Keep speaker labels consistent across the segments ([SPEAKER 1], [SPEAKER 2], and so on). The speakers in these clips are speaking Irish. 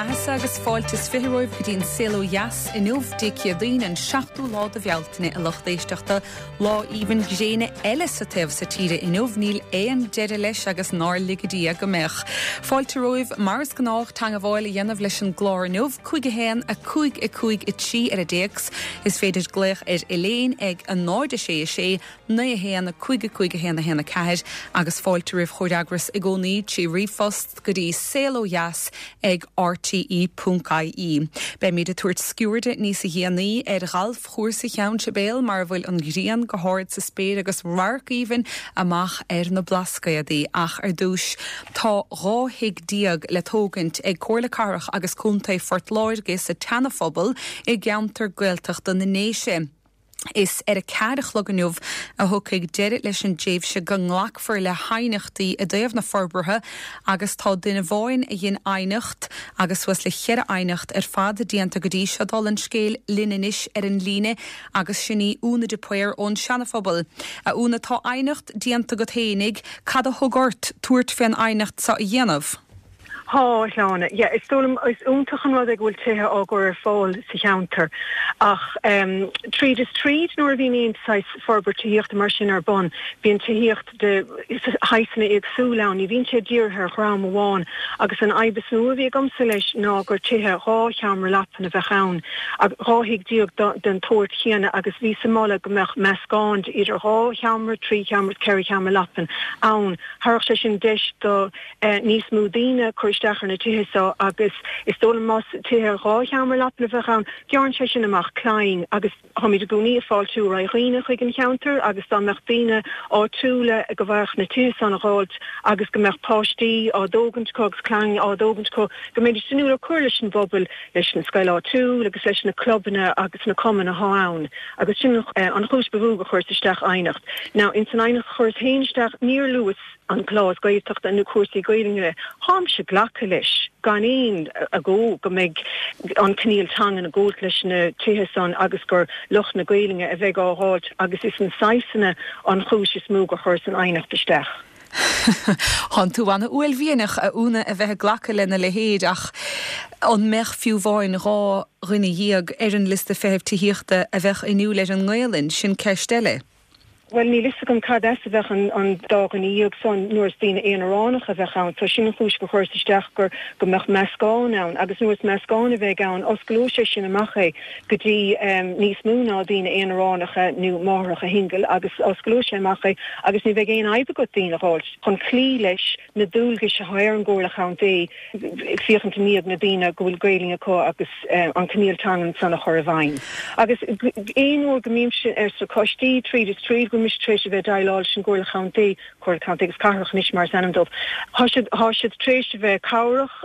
[SPEAKER 1] mbeathasa agus fáilte is 20 romhaibh go dtí an Saol Ó Dheas inniu, Dé Céadaoin, an seachtú lá de Bhealtaine, a lucht éisteachta. Lá aoibhinn gréine eile sa taobh so tíre inniu, níl aon deireadh leis agus nár lige Dia go mbeadh. Fáilte romhaibh, mar is gnách, teangabháil a dhéanamh leis an gclár inniu, 5 1 5 5 3 ar an dtéacs. Is féidir glaoch ar Elaine ag 0 6 6 9 1 5 5 1 1 4 agus fáilte roimh chomhfhreagras i gcónaí trí ríomhphost go dtí saolodheas ag rte ponc ie. Beimid ag tabhairt sciuirde níosa dhéanaí ar ghalfchúrsa Cheann Sibéal mar a bhfuil an ghrian go hard sa spéir agus radharc aoibhinn amach ar na Blascaodaí. Ach ar dtús tá 12 thigh le tógaint ag Comhairle Cathrach agus Contae Phort Láirge sa tSeanaphobal i gceantar Gaeltachta na nDéise. Is ar a ceathair a chlog inniu a thiocfaidh deireadh leis an dtréimhse go nglacfar le haighneachtaí i dtaobh na forbartha agus tá duine amháin a dhein aighneacht agus suas le cheithre aighneacht ar fad déanta go dtí seo. Dála an scéil linn anois ar an líne agus sin í Úna de Paor ón Seanaphobal. A Úna, tá aighneacht déanta agat fhéinig, cad a thug ort tabhairt fén aighneacht seo a dhéanamh?
[SPEAKER 2] Tá, a Shláine. Yeah, is dóigh liom, is iontach an rud é go bhfuil tithe á gcur ar fáil sa cheantar ach tríd is tríd nuair a bhíonn aon saghas forbairt tithíochta mar sin ar bun, bíonn tithíocht de shaghsanna éagsúla ann, ní bhíonn sé dírithe ar dhream amháin agus an fhadhb is mó a bhí agamsa leis ná gur tithe 12 sheomra leapan a bheadh ann, 12 thigh den tsórt chéanna agus bhíos ag moladh go mbeadh meascán de idir dhá sheomra, trí sheomra is ceithre sheomra leapan ann. Thabharfadh sé sin deis do. níos mó daoine cur isteach ar na tithe seo agus is dóigh liom más tithe 2 sheomra leapan a bheadh ann, gearrann sé sin amach clainn agus táimid i gcónaí ag fáiltiú ar aghaidh dhaoine chuig an cheantar agus dá mbeadh daoine áitiúla go bhfaigheadh na tithe san a dh'fháilt agus go mbeadh páistí á dtógaint acu agus clainn á dtógaint acu go mbeidís inniúil ar cur leis an bpobal, leis an scoil áitiúil agus leis na clubanna agus na cumainn athá ann agus sin an chúis ba mhó gur chuireas isteach aighneacht. Now ins an aighneacht a chuireas féin isteach níor luas an clás Gaeltachta nó cúrsaí Gaelainne, táimse ag glacadh leis gan aon agó go mbeidh an coinníoll teangan ag gabhailt leis na tithe san agus gur lucht na Gaelainne a bheidh á dh'fháilt agus is an saghas san an chúis is mó gur chuireas an aighneacht isteach.
[SPEAKER 1] Thánn tú ana-uaillmhianach, a Úna, a bheith ag glacadh lena leithéid ach an mbeadh fiú amháin 12 dhuine ar an liosta feithimh tithíochta a bheadh inniúil ar an nGaelainn, sin ceist eile.
[SPEAKER 2] Bhuel, níl fhios agam cad as a bheadh an dá dhuine dhéag san nuair is daoine aonaránacha a bheadh ann. So sin an chúis gur chuireas isteach gur go mbeadh meascán ann agus nuair is meascán a bheidh ann osclóidh sé sin amach é go dtí níos mó ná daoine aonaránacha nó máithreacha shingil agus osclóidh sé amach é agus ní bheidh aon fhadhb agat daoine a dh'fháilt chun cloí leis na dualgais atá ar an gComhairle Chontae féachaint i ndiaidh na daoine go bhfuil Gaelainn acu agus an coinníoll teangan san a chur i bhfeidhm. Agus aon uair go mbímse ar sna coistí, tríd is tríd, go bhfuil mise tar éis a bheith ag déileáil leis an gComhairle Chontae, Comhairle Contae agus Cathrach anois mar is ainm dóibh, thá siad, thá siad tar éis a bheith cabhrach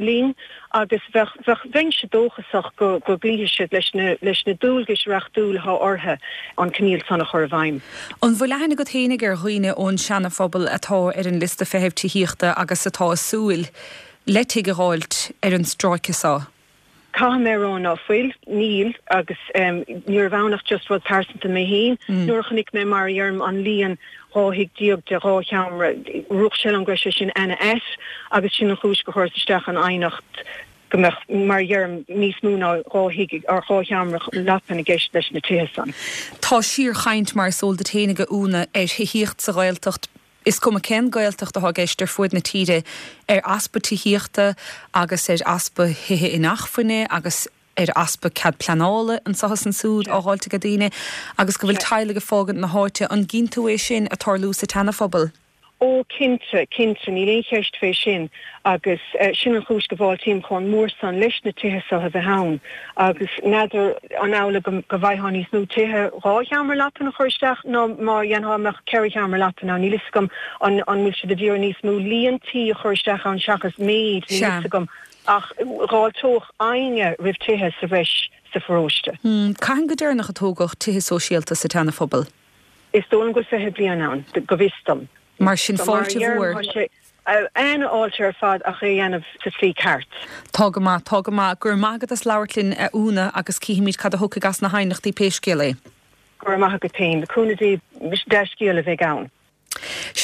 [SPEAKER 2] linn agus bheadh, bheadh, bheinnse dóchasach go, go gcloífidh siad leis na, leis na dualgais reachtúla atá orthu an coinníoll san a chur i bhfeidhm.
[SPEAKER 1] An bhfuil aithne agat fhéinig ar dhaoine ón Seana-Phobal atá ar an liosta feithimh tithíochta agus atá ag súil le tigh a dh'fháilt ar an stráice seo?
[SPEAKER 2] Caithfidh mé a rá ná fuil, níl, agus níorbh ann ach just rud pearsanta mé féin. Nuair a chonaic mé, mar a dheirim, an líon 12 thigh de dhá sheomra, rith sé liom go raibh sé sin ana-ait agus sin an chúis gur chuireas isteach an aighneacht go mbeadh, mar a dheirim, níos mó ná dhá thigh or dhá sheomra leapan i gceist leis na tithe san.
[SPEAKER 1] Tá síorchaint, mar is eol duit fhéinig, a Úna, ar thithíocht sa Ghaeltacht. Is cuma cén Gaeltacht atá i gceist ar fuaid na tíre, ar easpa tithíochta agus ar easpa thithe inacmhainne agus ar easpa cead pleanála anso is ansúd á dh'fháilt aige daoine agus go bhfuil teaghlaigh ag fágaint na háite. An gcíonn tú é sin ag tarlú sa tSeana-Phobal?
[SPEAKER 2] Ó, cinnte, cinnte, níl aon cheist fé sin agus sin an chúis go bhfáiltím chomh mór san leis na tithe so a bheith ann agus n'fheadar an amhlaidh go bhfaightheá níos mó tithe 2 sheomra leapan a chur isteach ná má dhéanfá mbeadh 4 sheomra leapan ann, níl fhios agam an bhfuil siad a d'iarraidh níos mó líon tí a chur isteach ann seachas méid, níl fhios agam ach dh'fháilteodh éinne roimh tithe sa bhreis sa pharóiste.
[SPEAKER 1] Cathain go deireanach a tógadh tithe sóisialta sa tSeana-Phobal?
[SPEAKER 2] Is dóigh liom go bhfuil 20 bliain ann, go bhfios dom.
[SPEAKER 1] Mar sin, fáilte mhór.
[SPEAKER 2] Tá sé an-fháilte ar fad ach é a dhéanamh sa tslí ceart.
[SPEAKER 1] Tá go maith, tá go maith. Go raibh maith agat as labhairt linn, a Úna, agus cífimid cad a thiocfaidh as na haighneachtaí pé scéal é.
[SPEAKER 2] Go raibh maith agat féin. Le cúnamh Dé, dea-scéal a bheidh ann.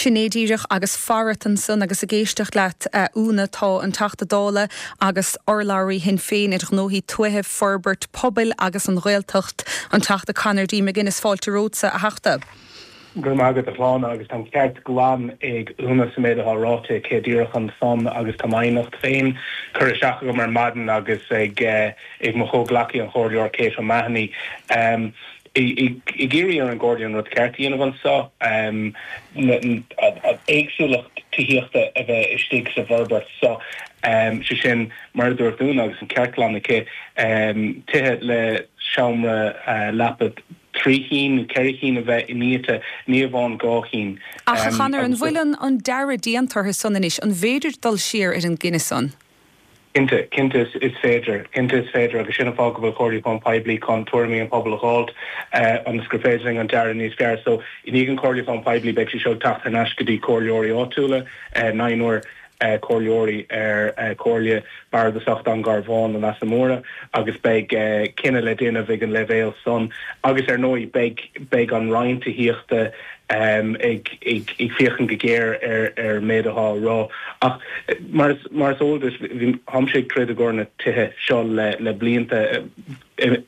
[SPEAKER 1] Sin é díreach agus farat ansan agus ag éisteacht leat, a Úna, tá an Teachta Dála agus urlabhraí Shinn Féin ar ghnóthaí tuaithe, forbairt pobail agus an Ghaeltacht, an Teachta Conor D. McGuinness. Fáilte romhatsa, a Theachta.
[SPEAKER 3] Go raibh maith agat, a Shláine, agus tá an ceart glan ag Úna sa méid atá ráite aici díreach ansan agus tá m'aighneacht féin curtha isteach agam ar maidin agus ag mo chomhghleacaí, an Comhairleoir Kate O'Mahony. Ag iarraidh ar an gComhairle an rud ceart a dhéanamh anso, éagsúlacht tithíochta a bheith istigh sa bhforbairt so, sé sin, mar a dúirt Úna agus an ceart glan aici, tithe le seomra leapa 3 chinn nó 4 chinn a bheith iniata, ní amháin 2 chinn.
[SPEAKER 1] Ach, a Chonor, an bhfuil an dearadh déanta orthu san anois? An bhféidir dul siar ar an gcinneadh san?
[SPEAKER 3] Cinnte, cinnte is féidir. Cinnte is féidir agus sin an fáth go bhfuil comhairliúchán poiblí chun tuairimí an pobail a dh'fháilt ionas gur féidir linn an dearadh níos fearr. So, i ndiaidh an chomhairliúcháin poiblí beidh sé seo ag teacht thar n-ais go dtí comhairleoirí áitiúla, naonúr comhairleoirí ar Chomhairle Bardasach Dún Garbhán na Leasa Móire agus beidh cinneadh le déanamh ag an leibhéal san agus ar ndóigh beidh beidh an Roinn Tithíochta ag féachaint go géar ar an méid atá á rá. Ach mar is eol duit, táimse ag troid i gcomhair na tithe seo le blianta,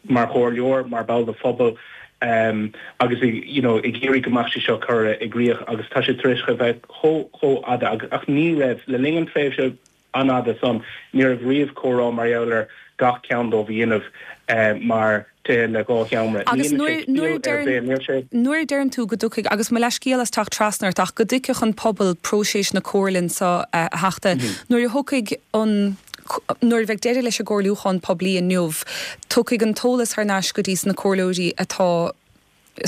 [SPEAKER 3] mar chomhairleoir, mar bhall de phobal agus you know ag iarraidh go mbeadh sé seo curtha i gcrích agus tá sé tar éis a bheith chomh chomh fhada agus ach ní raibh, le linn an tréimhse an-fhada san, ní raibh riamh comhrá mar gheall ar gach ceann dóibh a dhéanamh mar tithe le dhá sheomra.
[SPEAKER 1] Ní Agus dhéanann sé nuair, ciall ar bith, níl sé. nuair a deireann tú go dtiocfaidh, agus mo leathscéal as teacht trasna ort, ach go dtuigfeadh an pobal próiseas na comhairle anso a Theachta, nuair a thiocfaidh an, nuair a bheidh deireadh leis an gcomhairliúchán poiblí inniu, tiocfaidh an t-eolas thar n-ais go dtí sna comhairleoirí atá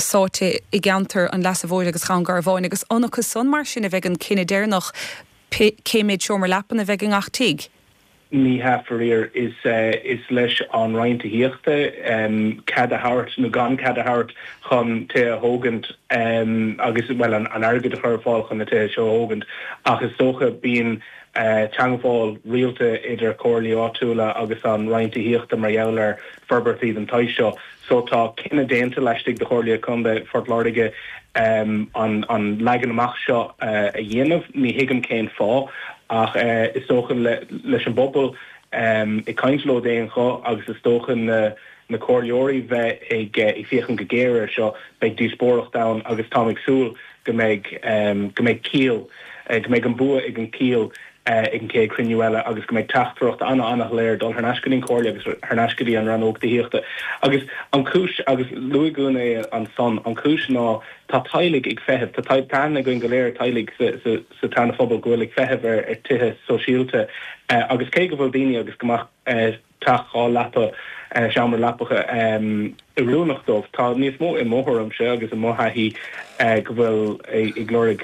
[SPEAKER 1] sáite i gceantar an Leasa Mhóir agus Dhún Garbháin agus an acu san mar sin a bheidh an cinneadh deireanach cé méid seomra leapan a bheidh i ngach tigh.
[SPEAKER 3] Ní hea, faraor. Is is leis an Roinn Tithíochta cead a thabhairt nó gan cead a thabhairt chun tithe a thógaint agus, bhuel, an airgead a chur ar fáil chun na tithe seo a thógaint. Ach is dócha bíonn teagmháil rialta idir comhairlí áitiúla agus an Roinn Tithíochta mar gheall ar forbairtí den tsaghas seo. So tá cinneadh déanta laistigh de Chomhairle Contae Phort Láirge an an leagan amach seo a dhéanamh. Ní thuigim cén fáth ach is dócha leis an bpobal ag caint leo d'aon ghuth agus is dócha na na comhairleoirí bheith ag ag féachaint go géar air seo, beidh díospóireacht ann agus táim ag súil go mbeidh go mbeidh ciall, go mbeidh an bua ag an ciall ag an chéad chruinniú eile agus go mbeidh teachtaireacht ana-ana-shoiléir dul thar n-ais go dtí an Chomhairle agus thar n-ais go dtí an Rannóg Tithíochta. Agus an chúis, agus luaigh Úna é ansan, an chúis ná tá teaghlaigh ag feitheamh, tá aithne againn go léir ar teaghlaigh sa sa tSeana-Phobal go bhfuil ag feitheamh ar ar tithe sóisialta agus cé go bhfuil daoine agus go mbeadh teach 2 leapa, seomra leapacha oiriúnach dóibh. Tá níos mó i mo thuairimse agus i mo thaithí go bhfuil ag lorg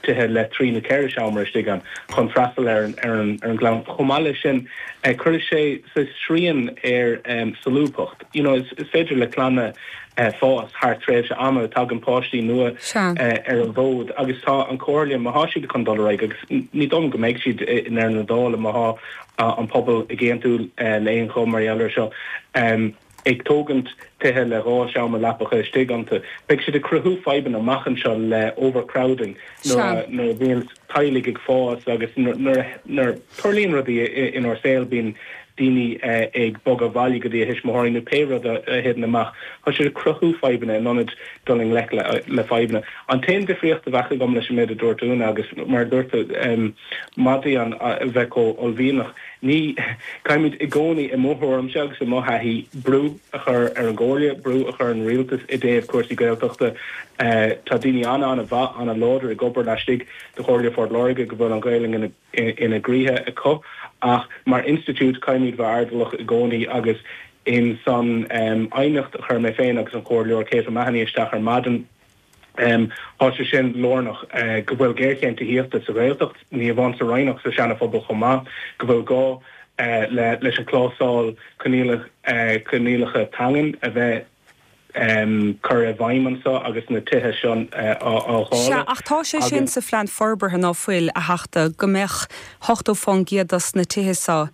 [SPEAKER 3] tithe le 3 nó 4 seomra istigh ann chun freastal ar an gclann. Chomh maith leis sin, cuirfidh sé saghas srian ar solúbthacht. You know, is féidir le clanna fás thar tréimhse ama, tagann páistí nua ar an bhfód agus tá an Chomhairle, má thá siad chun dul ar aghaidh, agus ní dóigh liom go mbeidh siad i ndeireadh na dála má thá an pobal ag aontú le haon ghuth mar gheall air seo, ag tógaint tithe le 2 seomra leapacha istigh iontu. Beidh siad ag cruthú fadhbanna amach anseo le overcrowding nuair a bhíonn teaghlaigh ag fás agus nuair a tarlaíonn rudaí inár saol bíonn daoine ag bogadh abhaile go dtí a thuismitheoirí nó pé rud a thiteann amach. Tá siad ag cruthú fadhbanna in ionad dul i ngleic le fadhbanna. An t-aon difríocht a bheadh agam leis an méid a dúirt Úna agus mar a dúirt tú, Maith di a bheith chomh uaillmhianach. Ní, caithfimid i gcónaí, i mo thuairimse agus i mo thaithí, brú a chur ar an gComhairle, brú a chur ar an Rialtas i dtaobh cúrsaí Gaeltachta. Tá daoine an-an-mhaith, an-láidir ag obair laistigh de Chomhairle Phort Láirge go bhfuil an Ghaelainn ina gcroíthe acu ach mar institiúid caithfimid bheith airdeallach i gcónaí agus in san aighneacht a chuir mé féin agus an Comhairleoir Kate O'Mahony isteach ar maidin, Tá sé sin lárnach, go bhfuil géarchéim tithíochta sa Ghaeltacht, ní amháin sa Rinn ach sa Seana-Phobal chomh maith, go bhfuil gá leis an clásal coinníollacha teangan a bheith curtha i bhfeidhm anseo agus na tithe seo á
[SPEAKER 1] dháileadh. Sea, ach tá sé sin sa phlean forbartha, ná fuil, a Theachta, go mbeadh 80% dos na tithe seo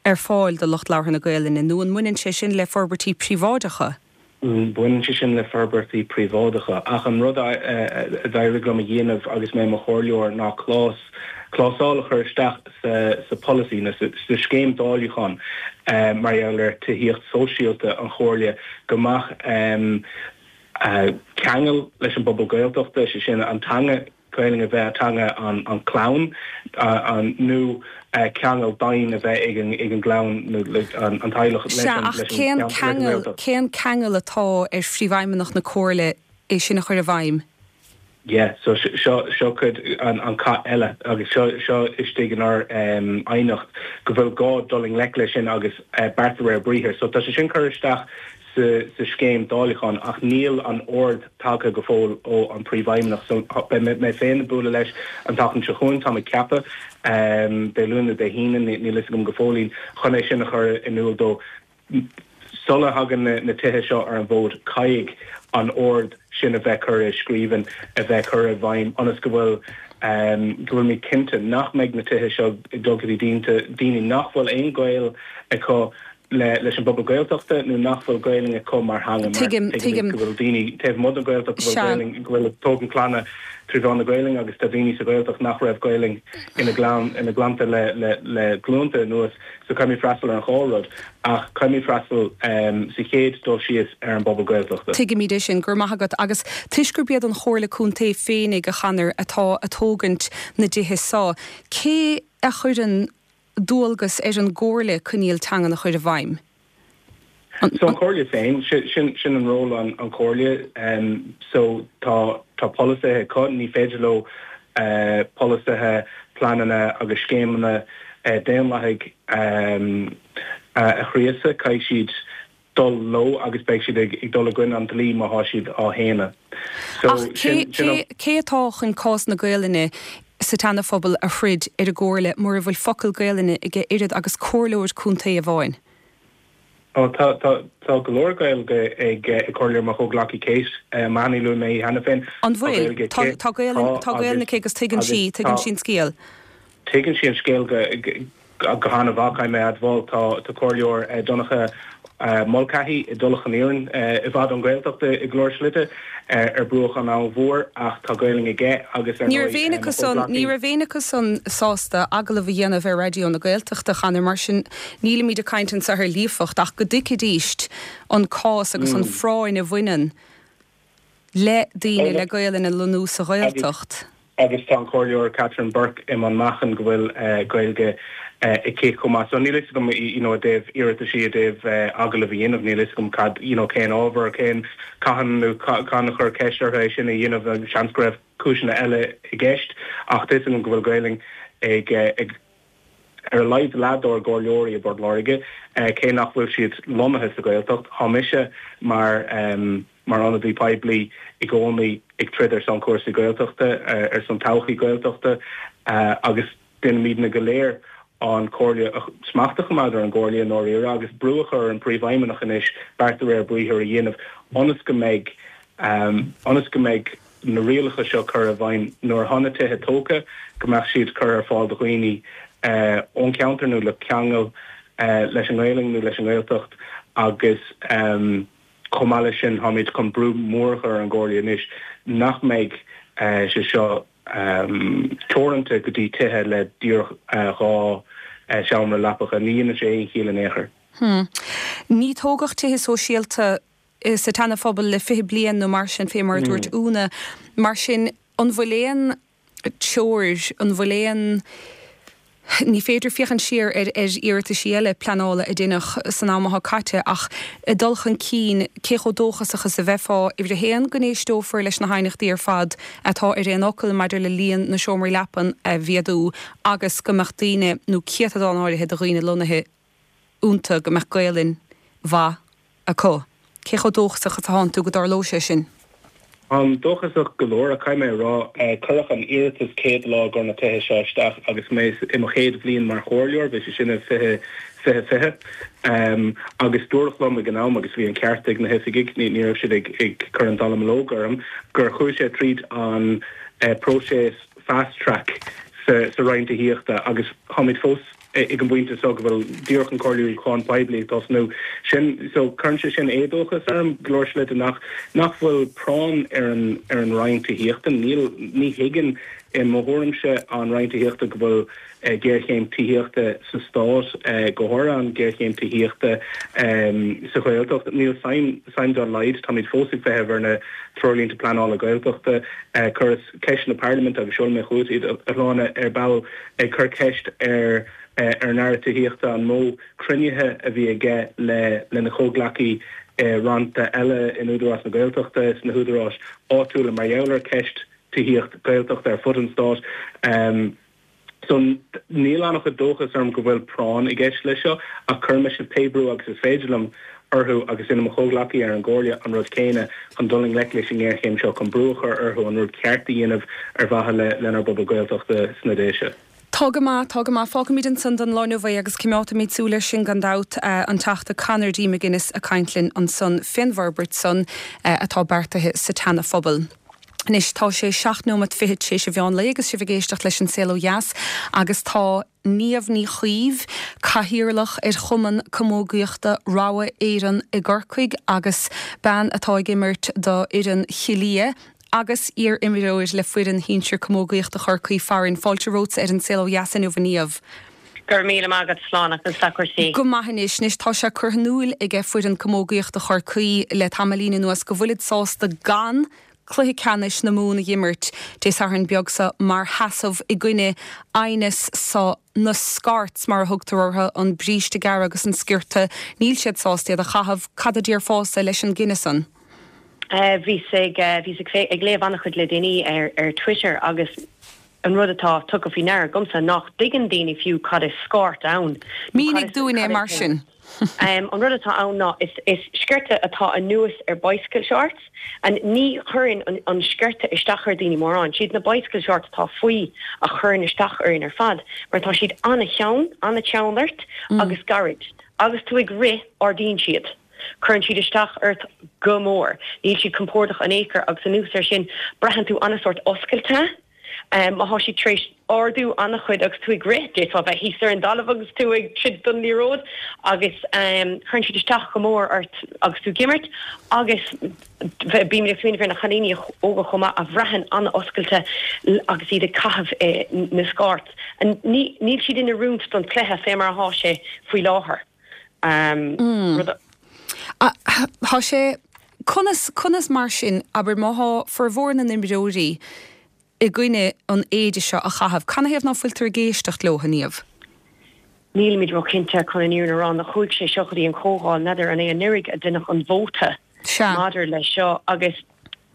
[SPEAKER 1] ar fáil do lucht labhartha na Gaelainne, nó an mbaineann sé sin le forbairtí príobháideacha?
[SPEAKER 3] Baineann sé sin le forbairtí príobháideacha. Ach an rud a d'éirigh liom a dhéanamh agus mé i mo chomhairleoir ná clás, clásal a chur isteach sa pholasaí nó sa scéim dáiliúcháin mar gheall ar tithíocht sóisialta an Chomhairle go mbeadh ceangal leis an bpobal Gaeltachta, sé sin an teanga Gaelainn a bheith teanga an chlann nó ceangal daingean a bheith ag an gclann nó an teaghlach leis an
[SPEAKER 1] Sea, ach cén ceangal, cén ceangal atá ar Phríomhfheidhmeannach na Comhairle é sin a chur i bhfeidhm?
[SPEAKER 3] Yeah, so seo, seo cuid an cath eile agus seo, seo istigh inár aighneacht go bhfuil gá dul i ngleic leis sin agus beart de réir briathair. So tá sé sin curtha isteach sa scéim dáileacháin ach níl an ord tagtha go fóill ó an Príomhfheidhmeannach so beidh mé féin ag bualadh leis an tseachtain seo chugainn, táim ag ceapadh, Dé Luain nó Dé hAoine, níl fhios agam go fóillín, chun é sin a chur in iúl dó. Sula thagann na tithe seo ar an bhfód caithfidh an ord sin a bheith curtha i scríbhinn, a bheith curtha i bhfeidhm ionas go bhfuil go bhfuilimid cinnte nach mbeidh na tithe seo ag dul go dtí daoine nach bhfuil aon ghaol acu le leis an bpobal Gaeltachta nó nach bhfuil Gaelainn acu mar theanga mar
[SPEAKER 1] Tuigim,
[SPEAKER 3] tuigimid
[SPEAKER 1] tuigim.
[SPEAKER 3] go bhfuil daoine taobh amuigh den Ghaeltacht go bhfuil
[SPEAKER 1] Sea.
[SPEAKER 3] Gaelainn, go bhfuil ag tógaint clainne trí mheán na Gaelainne agus tá daoine sa Ghaeltacht nach raibh Gaelainn ina gclann, ina gclannta le, le, le glúnta anuas so caithfimid freastal ar an dhá rud ach caithfimid freastal sa chéad dul síos ar an bpobal Gaeltachta.
[SPEAKER 1] Tuigimid é sin, go raibh maith agat. Agus toisc gurb iad an Chomhairle Contae féinig, a Chonor, atá a tógaint na dtithe so, cé a chuireann dualgas ar an gComhairle coinníoll teangan a chur i bhfeidhm.
[SPEAKER 3] So an Chomhairle féin, sin sin an ról an an Chomhairle. So tá tá polasaithe acu, ní féidir leo polasaithe, pleananna agus scéimeanna daonlathaigh a chriosadh, caithfidh siad dul leo agus beidh siad ag dul i gcoinne an dlí má thá siad á shéanadh.
[SPEAKER 1] So Ach cé, sin an. cé atá chun cás na Gaelainne sa tSeana-Phobal a throid ar an gComhairle mura bhfuil focal Gaelainne aige oiread agus comhairleoir contae amháin?
[SPEAKER 3] Ó tá, tá, tá go leor Gaeilge ag comhairleoir mo chomhghleacaí Kate Mahony, luaigh mé í cheana féin.
[SPEAKER 1] An bhfuil? Tá Gaeilge aici. Tá, tá Gaelainn, tá Gaelainn aici agus tuigeann sí, tuigeann sí an scéal.
[SPEAKER 3] Tuigeann sí an scéal go, Go han-mhaith, caithfidh mé a admháil. Tá Comhairleoir Donncha Mulcahy i dTulach an Iarainn, i bhfad ón Ghaeltacht i go leor slite, ar bruach an Abhainn Mhór, ach tá Gaelainn aige agus ar
[SPEAKER 1] Ní raibh éinne acu san, ní raibh éinne acu san sásta agallamh a dhéanamh ar Raidió na Gaeltachta, a Chonor, mar sin nílimid ag caint anseo ar líofacht ach go dtuigfidíst an cás agus an phráinn a bhaineann le daoine le Gaelainn a lonnú sa Ghaeltacht.
[SPEAKER 3] Agus tá an Comhairleoir Catherine Burke i mBun Machan go bhfuil Gaeilge aici chomh maith. So níl a fhios agam you know i dtaobh iarrataisí i dtaobh agallamh a dhéanamh, níl a fhios agam cad you know cén ábhar, cén cathain nó cathain a chuir ceist orthu é sin a dhéanamh, seans go raibh cúiseanna eile i gceist ach tá a fhios agam go bhfuil Gaelainn ag ag ar a laghad leath dár gcomhairleoirí i bPort Láirge, cé nach bhfuil siad lonnaithe sa Ghaeltacht. Tá mise mar mar ionadaí poiblí i gcónaí ag troid ar son cúrsaí Gaeltachta, ar son todhchaí Gaeltachta agus déanaimidne go léir an Chomhairle, smacht a choimeád ar an gComhairle i ndáiríre agus brú a chur ar an Príomhfheidhmeannach anois beart de réir briathair a dhéanamh ionas go mbeidh ionas go mbeidh na rialacha seo curtha i bhfeidhm nuair atá na tithe tógtha, go mbeadh siad curtha ar fáil do dhaoine ón cheantar nó le ceangal leis an nGaelainn nó leis an nGaeltacht agus chomh maith leis sin táimid chun brú mór a chur ar an gComhairle anois nach mbeidh sé seo teoranta go dtí tithe le díreach 2 seomra leapacha. Ní dhéanann sé aon chiall in aon chor.
[SPEAKER 1] Ní tógadh tithe sóisialta sa tSeana-Phobal le 20 bliain nó mar sin, fé mar a dúirt Úna. Mar sin, an bhfuil aon treoir, an bhfuil aon, ní féidir féachaint siar ar iarrataisí eile pleanála a deineadh san am atá caite ach ag dul chun cinn, cé chomh dóchasach is a bheifeá, uimhir a haon, go n-éisteofar leis na haighneachtaí ar fad atá ar aon fhocal maidir le líon na seomraí leapan a mhéadú agus go mbeadh daoine, nó céatadán áirithe de dhaoine lonnaithe iontu, go mbeadh Gaelainn mhaith acu. Cé chomh dóchasach is atánn tú go dtarlóidh sé sin?
[SPEAKER 3] Táim dóchasach go leor, ach caithfidh mé a rá, cuireadh an iarratas céad lá i gcomhair na tithe seo isteach agus mé i mo chéad bhliain mar chomhairleoir, bhí sé sin i 2020, agus dúradh liom ag an am, agus bhí an ceart ag na hoifigigh, ní raibh siad ag cur an dallamullóg orm, gur chuaigh sé tríd an próiseas fast track sa Roinn Tithíochta agus táimid fós. ag an bpointe seo go bhfuil díreach an comhairliúchán poiblí ag tosnú. Sin, so cuireann sé sin éadóchas orm go leor slite nach, nach bhfuil práinn ar an, ar an Roinn Tithíochta. Níl, ní thuigeann, i mo thuairimse, an Roinn Tithíochta go bhfuil géarchéim tithíochta sa Stát, go háirithe an ghéarchéim tithíochta sa Ghaeltacht. Níl suim dá laghad, táimid fós ag feitheamh ar na treoirlínte pleanála Gaeltachta. Chuireas ceisteanna parlaiminte agus seolfaidh mé chugat iad, a Shláine, ar ball, ag cur ceist ar ar an Aire Tithíochta an mó cruinnithe a bhí aige le lena chomhghleacaí i rannta eile in Údarás na Gaeltachta, sna húdaráis áitiúla mar gheall ar cheist tithíocht Gaeltachta ar fud an stáit. So, níl an-chuid dóchas orm go bhfuil práinn i gceist leis seo, ach cuirfidh mise pé brú agus is féidir liom orthu agus déanfaidh mo chomhghleacaí ar an gComhairle an rud céanna chun dul i ngleic leis an ngéarchéim seo, chun brú a chur orthu an rud ceart a dhéanamh ar mhaithe le lenár bpobal Gaeltachta sna Déise.
[SPEAKER 1] Tá go maith, tá go maith. Fágfaimid ansan don lá inniu é agus coimeádfaimid súil air sin gan dabht. An Teachta Conor D. McGuinness ag caint linn ansan fén bhforbairt san atá beartaithe sa tSeana Phobal. Anois tá sé 7 nóimeat fichead tar éis an mheán lae agus sibh ag éisteacht leis An Saol Ó Dheas agus tá Niamh Ní Chaoimh, Cathaoirleach ar Chumann Camógaíochta Rogha Éireann i gCorcaigh agus bean atá ag imirt do fhoireann Chill Lia agus iar-imreoir le foireann shinsir camógaíochta Chorcaí farainn. Fáilte romhatsa ar An Saol Ó Dheas inniu a Niamh.
[SPEAKER 4] Go raibh míle maith agat, Sláine, conas tá cúrsaí?
[SPEAKER 1] Go maith anois. Anois tá sé curtha in iúil aige foireann camógaíochta Chorcaí le tamaillín anuas go bhfuilid sásta gan cluiche ceannais na Mumhan a dh'imirt Dé Sathairn beag seo mar sheasamh i gcoinne aighneas so na scarts mar a thugtar orthu, an bríste gearr agus an sciorta, níl siad sásta iad a chaitheamh. Cad a déarfása leis an gcinneadh san?
[SPEAKER 4] Bhíos ag, bhíos ag, ag léamh an-chuid le déanaí ar, ar Twitter agus an rud atá tugtha faoi ndeara agamsa nach dtuigeann daoine fiú cad is scárt ann
[SPEAKER 1] nó cad Mínigh is, dúinn é cad is mar sin.
[SPEAKER 4] An rud atá ann ná is, is sciorta atá anuas ar bicycle shorts and ní chuireann an, an sciorta isteach ar daoine mórán. Siad na bicycle shorts atá faoi a chuireann isteach orainn ar fad mar tá siad an-teann, an-teann ort agus gairid. Agus tú ag rith ardaíonn siad. Cuireann siad isteach ort go mór. Níl siad compordach in aon chor agus anuas air sin braitheann tú an-sórt oscailte. Má thá siad tar éis ardú an-chuid agus tú ag rith, d'fhéadfá bheith thíos ar an dtalamh agus tú ag troid don liathróid agus cuireann siad isteach go mór ort agus tú ag imirt agus bímid ag smaoineamh ar na cailíní óga chomh maith a bhraitheann an-oscailte agus iad ag caitheamh na scáirt. Níl siad in oiriúint don chluiche fé mar athá sé faoi láthair.
[SPEAKER 1] Rud a. Tá sé, conas, conas mar sin, abair, má thá formhór na n-imreoirí i gcoinne an éide seo a chaitheamh, canathaobh ná fuiltear ag éisteacht leo, a Niamh?
[SPEAKER 4] Nílimid ró-chinnte, chun an fhírinne a rá, nuair a chuaigh sé seo go dtí an chomhdháil, n'fheadar an é anuraidh a deineadh an vóta maidir leis seo agus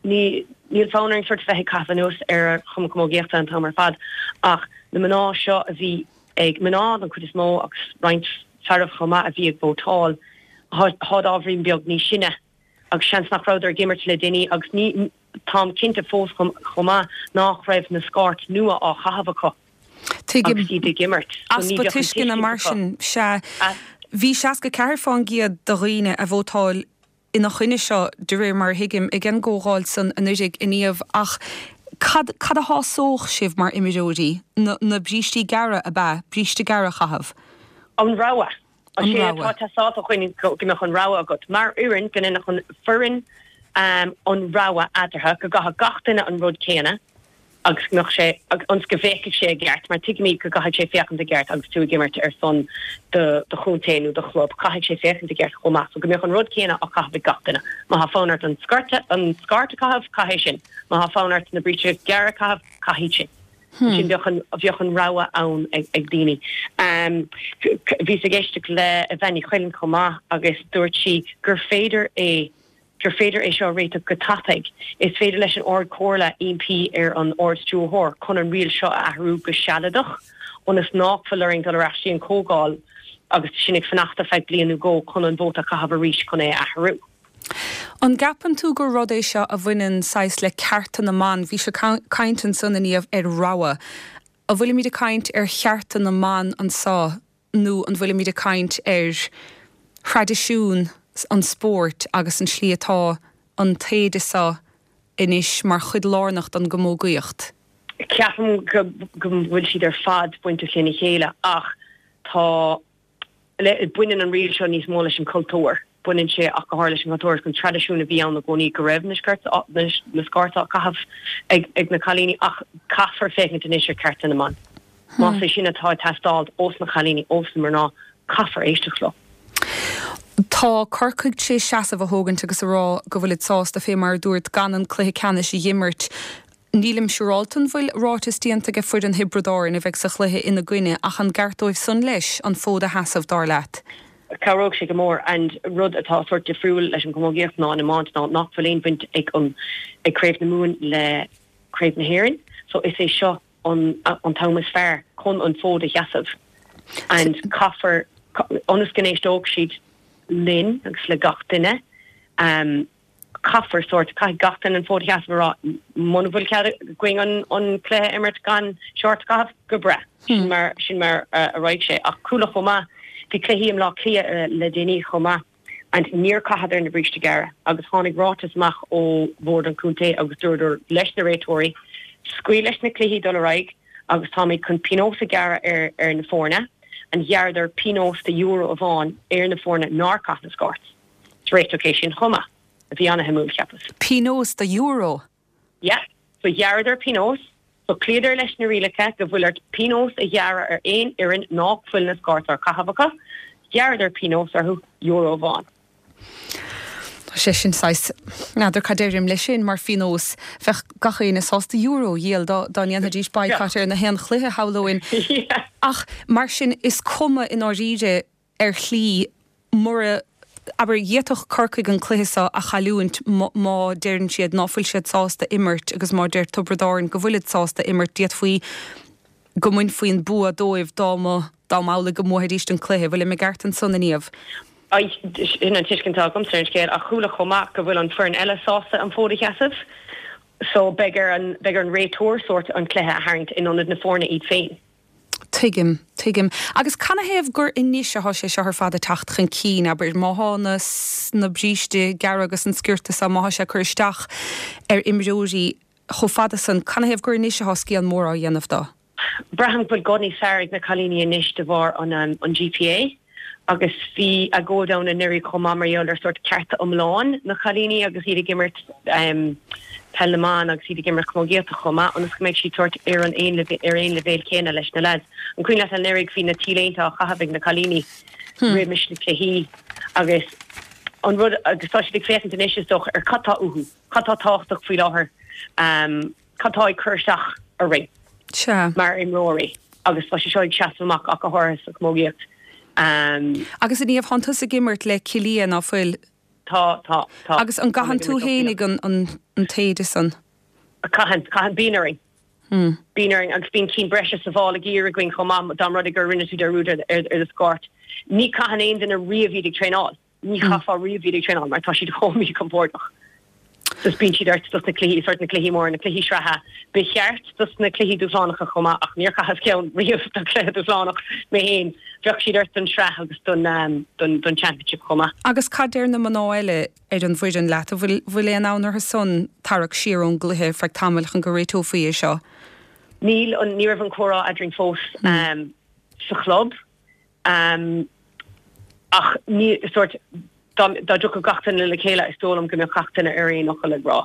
[SPEAKER 4] ní, níl fonn orainn sort bheith ag caitheamh anuas ar an Chumann Camógaíochta an t-am ar fad ach na mná seo a bhí ag mná don chuid is mó agus roinnt fearaibh chomh maith a bhí ag vótáil, tháid ábhairín beag níos sine agus seans nach rabhadar ag imirt le déanaí agus ní, táim cinnte fós chomh maith nách raibh na scáirt nua á chaitheamh acu
[SPEAKER 1] Tuigim. agus iad ag imirt so ní Easpa bheadh an tuisceana tuiscint mar acu. sin, sea. Bhí 64 fán gcéad de dhaoine a vótáil ina choinne seo, de réir mar a thuigim, ag an gcomhdháil san anuiridh, a Niamh, ach cad, cad a shásódh sibh mar imreoirí? Na, na brístí gearra, ab ea? Bríste gearr a chaitheamh?
[SPEAKER 4] An rogha. An Sé atá rogha. ag teastáil uainn go mbeadh an rogha agat. Mar fhoireann, go ndéanfadh an foireann an rogha eatarthu, go gcaithfeadh gach duine an rud céanna. agus go mbeadh sé, ionas go bhféachfadh sé i gceart, mar tuigimid go gcaithfidh sé féachaint i gceart agus tú ag imirt ar son do do chontae nó do chlub, caithfidh sé féachaint i gceart chomh maith. So go mbeadh an rud céanna á chaitheamh ag gach duine. Má tá fonn ort an sciorta, an scáirt a chaitheamh, caith é sin. Má tá fonn ort na bríste gearra a chaitheamh, caith iad sin. Ansin bheadh an, bheadh an rogha ann ag, ag daoine. Bhíos ag éisteacht le Evanne Ní Chuilinn chomh maith agus dúirt sí gur féidir é, gur féidir é seo a réiteach go tapaidh. Is féidir leis an Ard-Chomhairle impí ar an Ard-Stiúrthóir chun an riail seo a athrú go sealadach ionas nách fuil orainn dul ar ais dtí an Chomhdháil agus sinn ag fanacht ar feadh bliain nó dhó chun an vóta a chaitheamh arís chun é a athrú.
[SPEAKER 1] An gceapann tú gur rud é seo a bhaineann saghas le cearta na mban? Bhís ag caint ansan, a Niamh, ar rogha. An bhfuilimid ag caint ar chearta na mban anso nó an bhfuilimid ag caint ar thraidisiún an spóirt agus an tslí atá an t-éide seo anois mar chuid lárnach don gcamógaíocht?
[SPEAKER 4] Ceapaim go bhfuil siad ar fad bainteach lena chéile ach. Tá, le, baineann an riail seo níos mó leis an cultúr, baineann sé ach go háirithe leis an chultúr agus an traidisiún a bhí ann i gcónaí go raibh na sciorta, na, na scairts á caitheamh ag, ag na cailíní ach caithfear féachaint anois ar cearta na mban. Más é sin atá ag teastáil ós na cailíní, ós na mná, caithfear éisteacht leo.
[SPEAKER 1] Tá Corcaigh tar éis seasamh a thógaint agus a rá go bhfuilid sásta, fé mar a dúirt, gan an cluiche ceannais a dh'imirt. Nílim siúráilte an bhfuil ráiteas déanta ag foireann Thiobraid Árann a bheidh sa chluiche ina gcoinne ach an gceart dóibh san leis an fód a sheasamh, dar leat?
[SPEAKER 4] Cabhródh sé go mór and rud atá sórt difriúil leis an chamógaíocht ná an iomáint ná nach bhfuil aon bhaint ag an ag Craobh na Mumhan le Craobh na hÉireann so is é seo an an t-am is fearr chun an fód a sheasamh and caithfear ionas go n-éisteoidh siad linn agus le gach duine um, caithfear sórt, caithfidh gach duine an fód a sheasamh a rá, muna bhfuil cead againn an an cluiche a imirt gan shorts a chaitheamh, go breá. Sin mar, sin mar a raghaidh sé. Ach chuala chomh maith, bhí cluichí i mBleá Cliath le déanaí chomh maith and níor chaitheadar na bríste gearra agus tháinig ráiteas amach ó bhord an chontae agus dúradar leis na réiteoirí, scaoil leis na cluichí dul ar aghaidh agus táimid chun pionós a ghearradh ar ar na foirne and ghearradar pionós de euro amháin ar na foirne nár chaith na scairts. Is réiteach é sin chomh maith, a bhí ana-shuimiúil, cheapas.
[SPEAKER 1] Pionós de euro?
[SPEAKER 4] Yeah. So ghearradar pionós, so chloíodar leis na rialacha go bhfuil ort pionós a ghearradh ar aon fhoireann ná fuil na scairts á caitheamh acu, ghearradar pionós orthu, euro amháin.
[SPEAKER 1] Tá sé sin saghas, n'fheadar cad deirim leis sin mar phionós, bheadh gach éinne sásta euro a dhíol dá dá ndéanfaidís boycott ar na haon chluiche, shamhlóinn.
[SPEAKER 4] Yeah.
[SPEAKER 1] Ach mar sin, is cuma i ndáiríre ar shlí, mura, abair, d'fhéadfadh Corcaigh an cluiche seo a chailliúint má deireann siad ná fuil siad sásta imirt agus má deir Tiobraid Árann go bhfuilid sásta imirt, d'fhéadfaí go mbainfí an bua dóibh dá mba, dá mb'amhlaidh go mbuafaidís an cluiche. Bhfuilim i gceart ansan, a Niamh?
[SPEAKER 4] Sin an tuiscint atá agamsa ar an scéal ach chuala chomh maith go bhfuil an foireann eile sásta an fód a sheasamh so beidh ar an, beidh ar an réiteoir sórt an cluiche a tharraingt in ionad na foirne iad féin.
[SPEAKER 1] Tuigim, tuigim. Agus canathaobh gur anois athá sé seo ar fad ag teacht chun cinn, abair, má thá na, na bríste gearra agus an sciorta seo, má thá sé ag cur isteach ar imreoirí chomh fada san, canathaobh gur anois athá scéal mór á dhéanamh do?
[SPEAKER 4] Braithim go bhfuil guth níos fearr ag na cailíní anois de bharr an, an GPA. Agus bhí agóid ann anuraidh chomh maith mar gheall ar sórt cearta iomlán na cailíní agus iad ag imirt peil na mban agus iad ag imirt camógaíochta chomh maith ionas go mbeidh siad sórt ar an aon ar aon leibhéal céanna leis na leaids. An cuimhin leat anuraidh bhí na T-léinte á chaitheamh ag na cailíní roimis na cluichí agus an rud agus tá siad ag féachaint anois is dócha ar cad tá uathu, cad tá tábhachtach faoi láthair. Cad tá ag cur isteach orainn
[SPEAKER 1] Sea.
[SPEAKER 4] mar imreoirí agus tá sé seo ag seasamh amach ach go háirithe sa chamógaíocht.
[SPEAKER 1] Agus a Niamh, thánn tusa ag imirt le Cill Lia, ná fuil?
[SPEAKER 4] Tá, tá, tá.
[SPEAKER 1] Agus an gcaitheann tú fhéinig an t-éide san?
[SPEAKER 4] Caitheann, caitheann. Bíonn orainn. Bíonn orainn agus bíonn cinn breise sa mhála gear againn chomh maith dá mba rud é gur rinne tú dearúd ar do scáirt. Ní chaitheann aon duine riamh iad ag traenáil. Ní chaithfeá riamh iad ag traenáil mar tá siad chomh míchompordach. Just bíonn siad ort dos na cluichí, sórt na cluichí móra, na cluichí sraithe. Ba cheart dos na cluichí dúshlánacha chomh maith ach níor chaitheas ceann riamh do chluiche dúshlánach mé féin. Bheadh siad ort don sraith agus don don championship chomh maith.
[SPEAKER 1] Agus cad deir na mná eile ar an bhfoireann leat? An bhfuil bhfuil aon fhonn orthu san tarrac siar ón gcluiche ar feadh tamaill chun go réiteofaí é seo?
[SPEAKER 4] Níl an, ní raibh an comhrá eadrainn fós sa chlub. Ach ní, sórt, dá dtiocfadh gach duine le chéile is dóigh liom go mbeadh gach duine ar aon fhocal ag rá,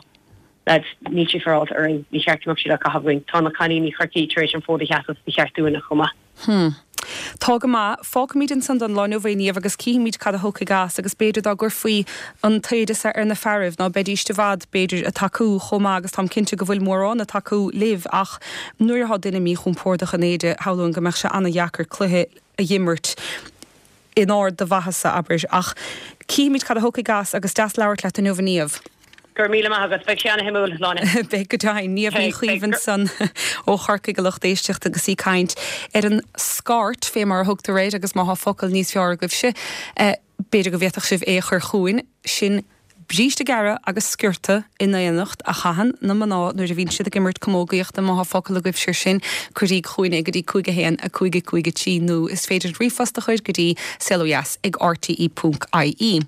[SPEAKER 4] lads, níl sé féaráilte orainn, ní cheart go mbeadh siad á caitheamh againn. Tá na cailíní Chorcaí tar éis an fód a sheasamh, ba cheart dúinne chomh maith.
[SPEAKER 1] Hmm. Tá go maith. Fágfaimid ansan don lá inniu é, Niamh, agus cífimid cad a thiocfaidh as, agus b'fhéidir dá gcuirfí an t-éide seo ar na fearaibh, ná beidíst i bhfad, b'fhéidir, ag tacú chomh maith, agus táim cinnte go bhfuil mórán ag tacú libh, ach nuair atá duine míchompordach in éide, shamhlóinn go mbeadh sé ana-dheacair cluiche a dh'imirt in ard do mhaitheasa, abair. Ach cífimid cad a thiocfaidh as, agus deas labhairt leat inniu, a Niamh.
[SPEAKER 4] Go raibh míle maith agat. Beidh sé ana-shuimiúil, Sláine.
[SPEAKER 1] Beidh go deimhin. Niamh Ní Chaoimh ansan ó Chorcaigh, a lucht éisteachta, agus í ag caint ar an scairt, fé mar a thugtar air, agus má thá focal níos fearr agaibhse, b'fhéidir go bhféadfadh sibh é a chur chugainn. Sin. Bríste gearra agus sciorta in éineacht a chaitheann na mná nuair a bhíonn siad ag imirt camógaíochta. Má thá focal agaibhse ar sin, cuiríg chugainn é go dtí 5 1 5 5 3 nó is féidir ríomhphost a chur go dtí saolodheas ag rte ponc ie.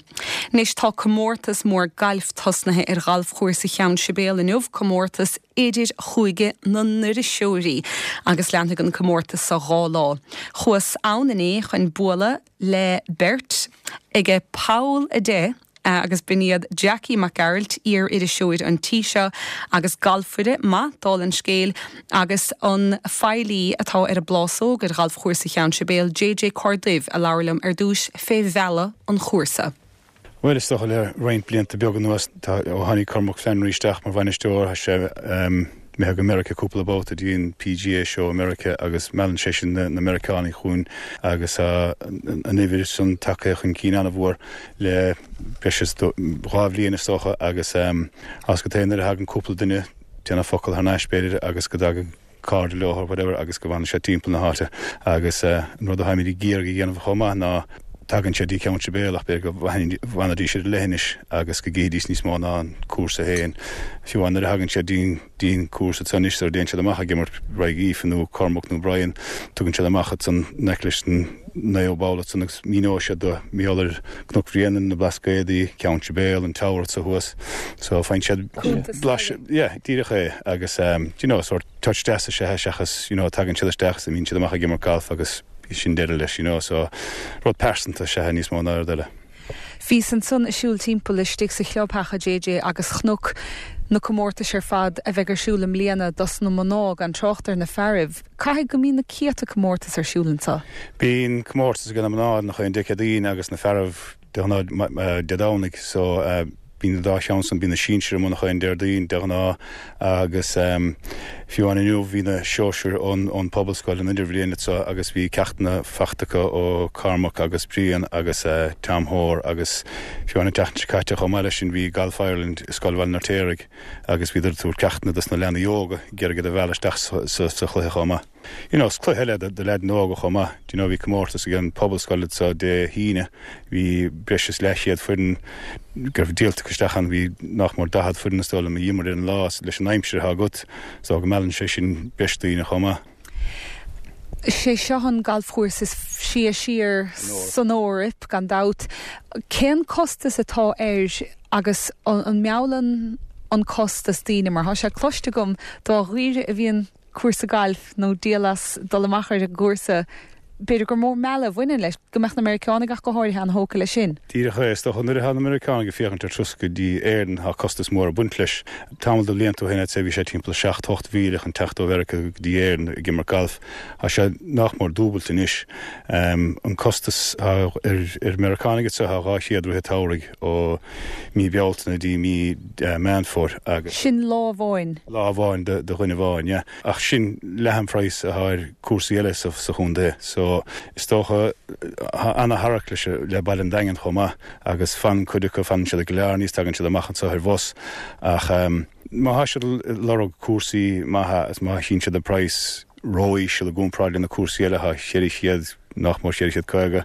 [SPEAKER 1] Anois tá comórtas mór gailf tosnaithe ar ghalfchúrsa Cheann Sibéal inniu, comórtas idir chúige na n-iriseoirí agus leanfaidh an comórtas seo 2 lá. Chuas ann inné chun bualadh le beirt aige poll 10 agus b'in iad Jackie Mac Gearailt, iar-iriseoir an tí seo agus galfaire maith, dála an scéil, agus an feighlí atá ar an bplásóg ar ghalfchúrsa Cheann Sibéal, JJ Corr Duibh, a labhair liom ar dtús fé mhealladh an chúrsa.
[SPEAKER 5] Bhuel, is dócha le roinnt blianta beaga anuas, tá, ó tháinig Cormac Flannery isteach mar bhainisteoir, tá sé imithe go Meiriceá cúpla babhta dtí an PGA Show i Meiriceá agus meallann sé sin na Meiriceánaigh chugainn agus tá an uimhir san tagtha chun cinn an-mhór le breis is 2 bhliain is dócha agus as go taobh nuair a thagann cúpla duine déanamh focal thar n-ais b'fhéidir agus go dtagann cairde leo or whatever agus go bhfanann siad timpeall na háite agus an rud atáimid ag iarraidh a dhéanamh chomh maith ná tagann siad dtí Ceann Sibéal ach b'fhéidir go bhfanfaidís ar an leithinis agus go gcífidís níos mó ná an cúrsa féin. Fiú amháin nuair a thagann siad dtí an cúrsa ansan anois sara dtéann siad amach ag imirt aghaidh Aoife nó Cormac nó Brian tugann siad amach ansan in aice leis an naoú ball ansan agus míneoidh siad dóibh mar gheall ar Cnoc Bhréanainn, na Blascaodaí, Ceann Sibéal, an Tower anso thuas. So faigheann siad blaiseadh, yeah, díreach é agus do you know, sórt touch deas is ea é seachas, you know, tagann siad isteach is imíonn siad amach ag imirt galf agus sin deireadh leis, you know, so rud pearsanta is ea é níos mó ná rud eile.
[SPEAKER 1] Bhíos ansan ag siúl timpeall istigh sa chlubtheach, a JJ, agus chonac na comórtais ar fad a bheidh ar siúl i mbliana dos na mná, gan trácht ar na fearaibh. Caithfidh go mbíonn na céadta comórtas ar siúl anseo.
[SPEAKER 5] Bíonn comórtas ag na mná nach aon Dé Céadaoin agus na fearaibh de ghnáth Dé Domhnaigh so bíonn an dá cheann san, bíonn na sinsir amuigh nach aon Déardaoin de ghnáth agus fiú amháin inniu bhí na sóisir ón Pobalscoil an Idirbhliain anseo agus bhí ceachtanna faighte acu ó Cormac agus Brian agus Tom Hoare agus fiú amháin an tseachtain seo caite chomh maith leis sin bhí Golf Ireland i Scoil Bhaile an Fheirtéaraigh agus bhíodar ag tabhairt ceachtanna dos na leanaí óga, ag iarraidh iad a mhealladh isteach sa chluiche chomh maith. You know, is cluiche eile do leaideanna óga chomh maith. Do you know, bhí comórtas ag an Pobalscoil anseo Dé hAoine, bhí breis is leathchéad foireann go raibh díolta acu isteach ann, bhí nach mór 40 foireann is dóigh liom a d'imir ar an lá, leis an aimsir atá agat, so go meallann sé sin breis daoine chomh maith.
[SPEAKER 1] Sé seo an galfchúrsa is sia siar san Eoraip, gan dabht. Cén costas atá air Agus an meallann an costas daoine? Mar tá sé cloiste agam dá dhaoire a bhíonn cúrsa gailf nó díol as dul amach ar an gcúrsa, b'fhéidir gur mór mealladh a bhaineann leis, go mbeadh na Meiriceánaigh ach go háirithe an-thógtha leis sin.
[SPEAKER 5] Díreach é. Is dócha nuair atá na Meiriceánaigh ag féachaint ar turas go dtí Éirinn tá costas mór ag baint leis. Tamall de bhlianta ó shin I'd say bhí sé timpeall 7, 8 mhíle chun teacht ó Mheiriceá go dtí Éirinn ag imirt gailf. Tá sé nach mór dúbailte anois. An costas atá ar Meiriceánaigh anseo tá 200 rith an tsamhraidh ó mí Bealtaine dtí mí Meán Fómhair
[SPEAKER 1] agus. Sin lá amháin.
[SPEAKER 5] Lá amháin do dhuine amháin, yeah. Ach sin leath an phraghas atá ar cúrsaí eile sa chontae. So is dócha tá ana-tharrac leis le baile an Daingin chomh maith agus fanann cuid acu, fanann siad i gCill Airne is tagann siad amach anseo ar bhus ach má tá siad ag lorg cúrsaí maithe is má chíonn siad an praghas ró-íseal i gcomparáid le na cúrsaí eile atá 400, nach mór 450.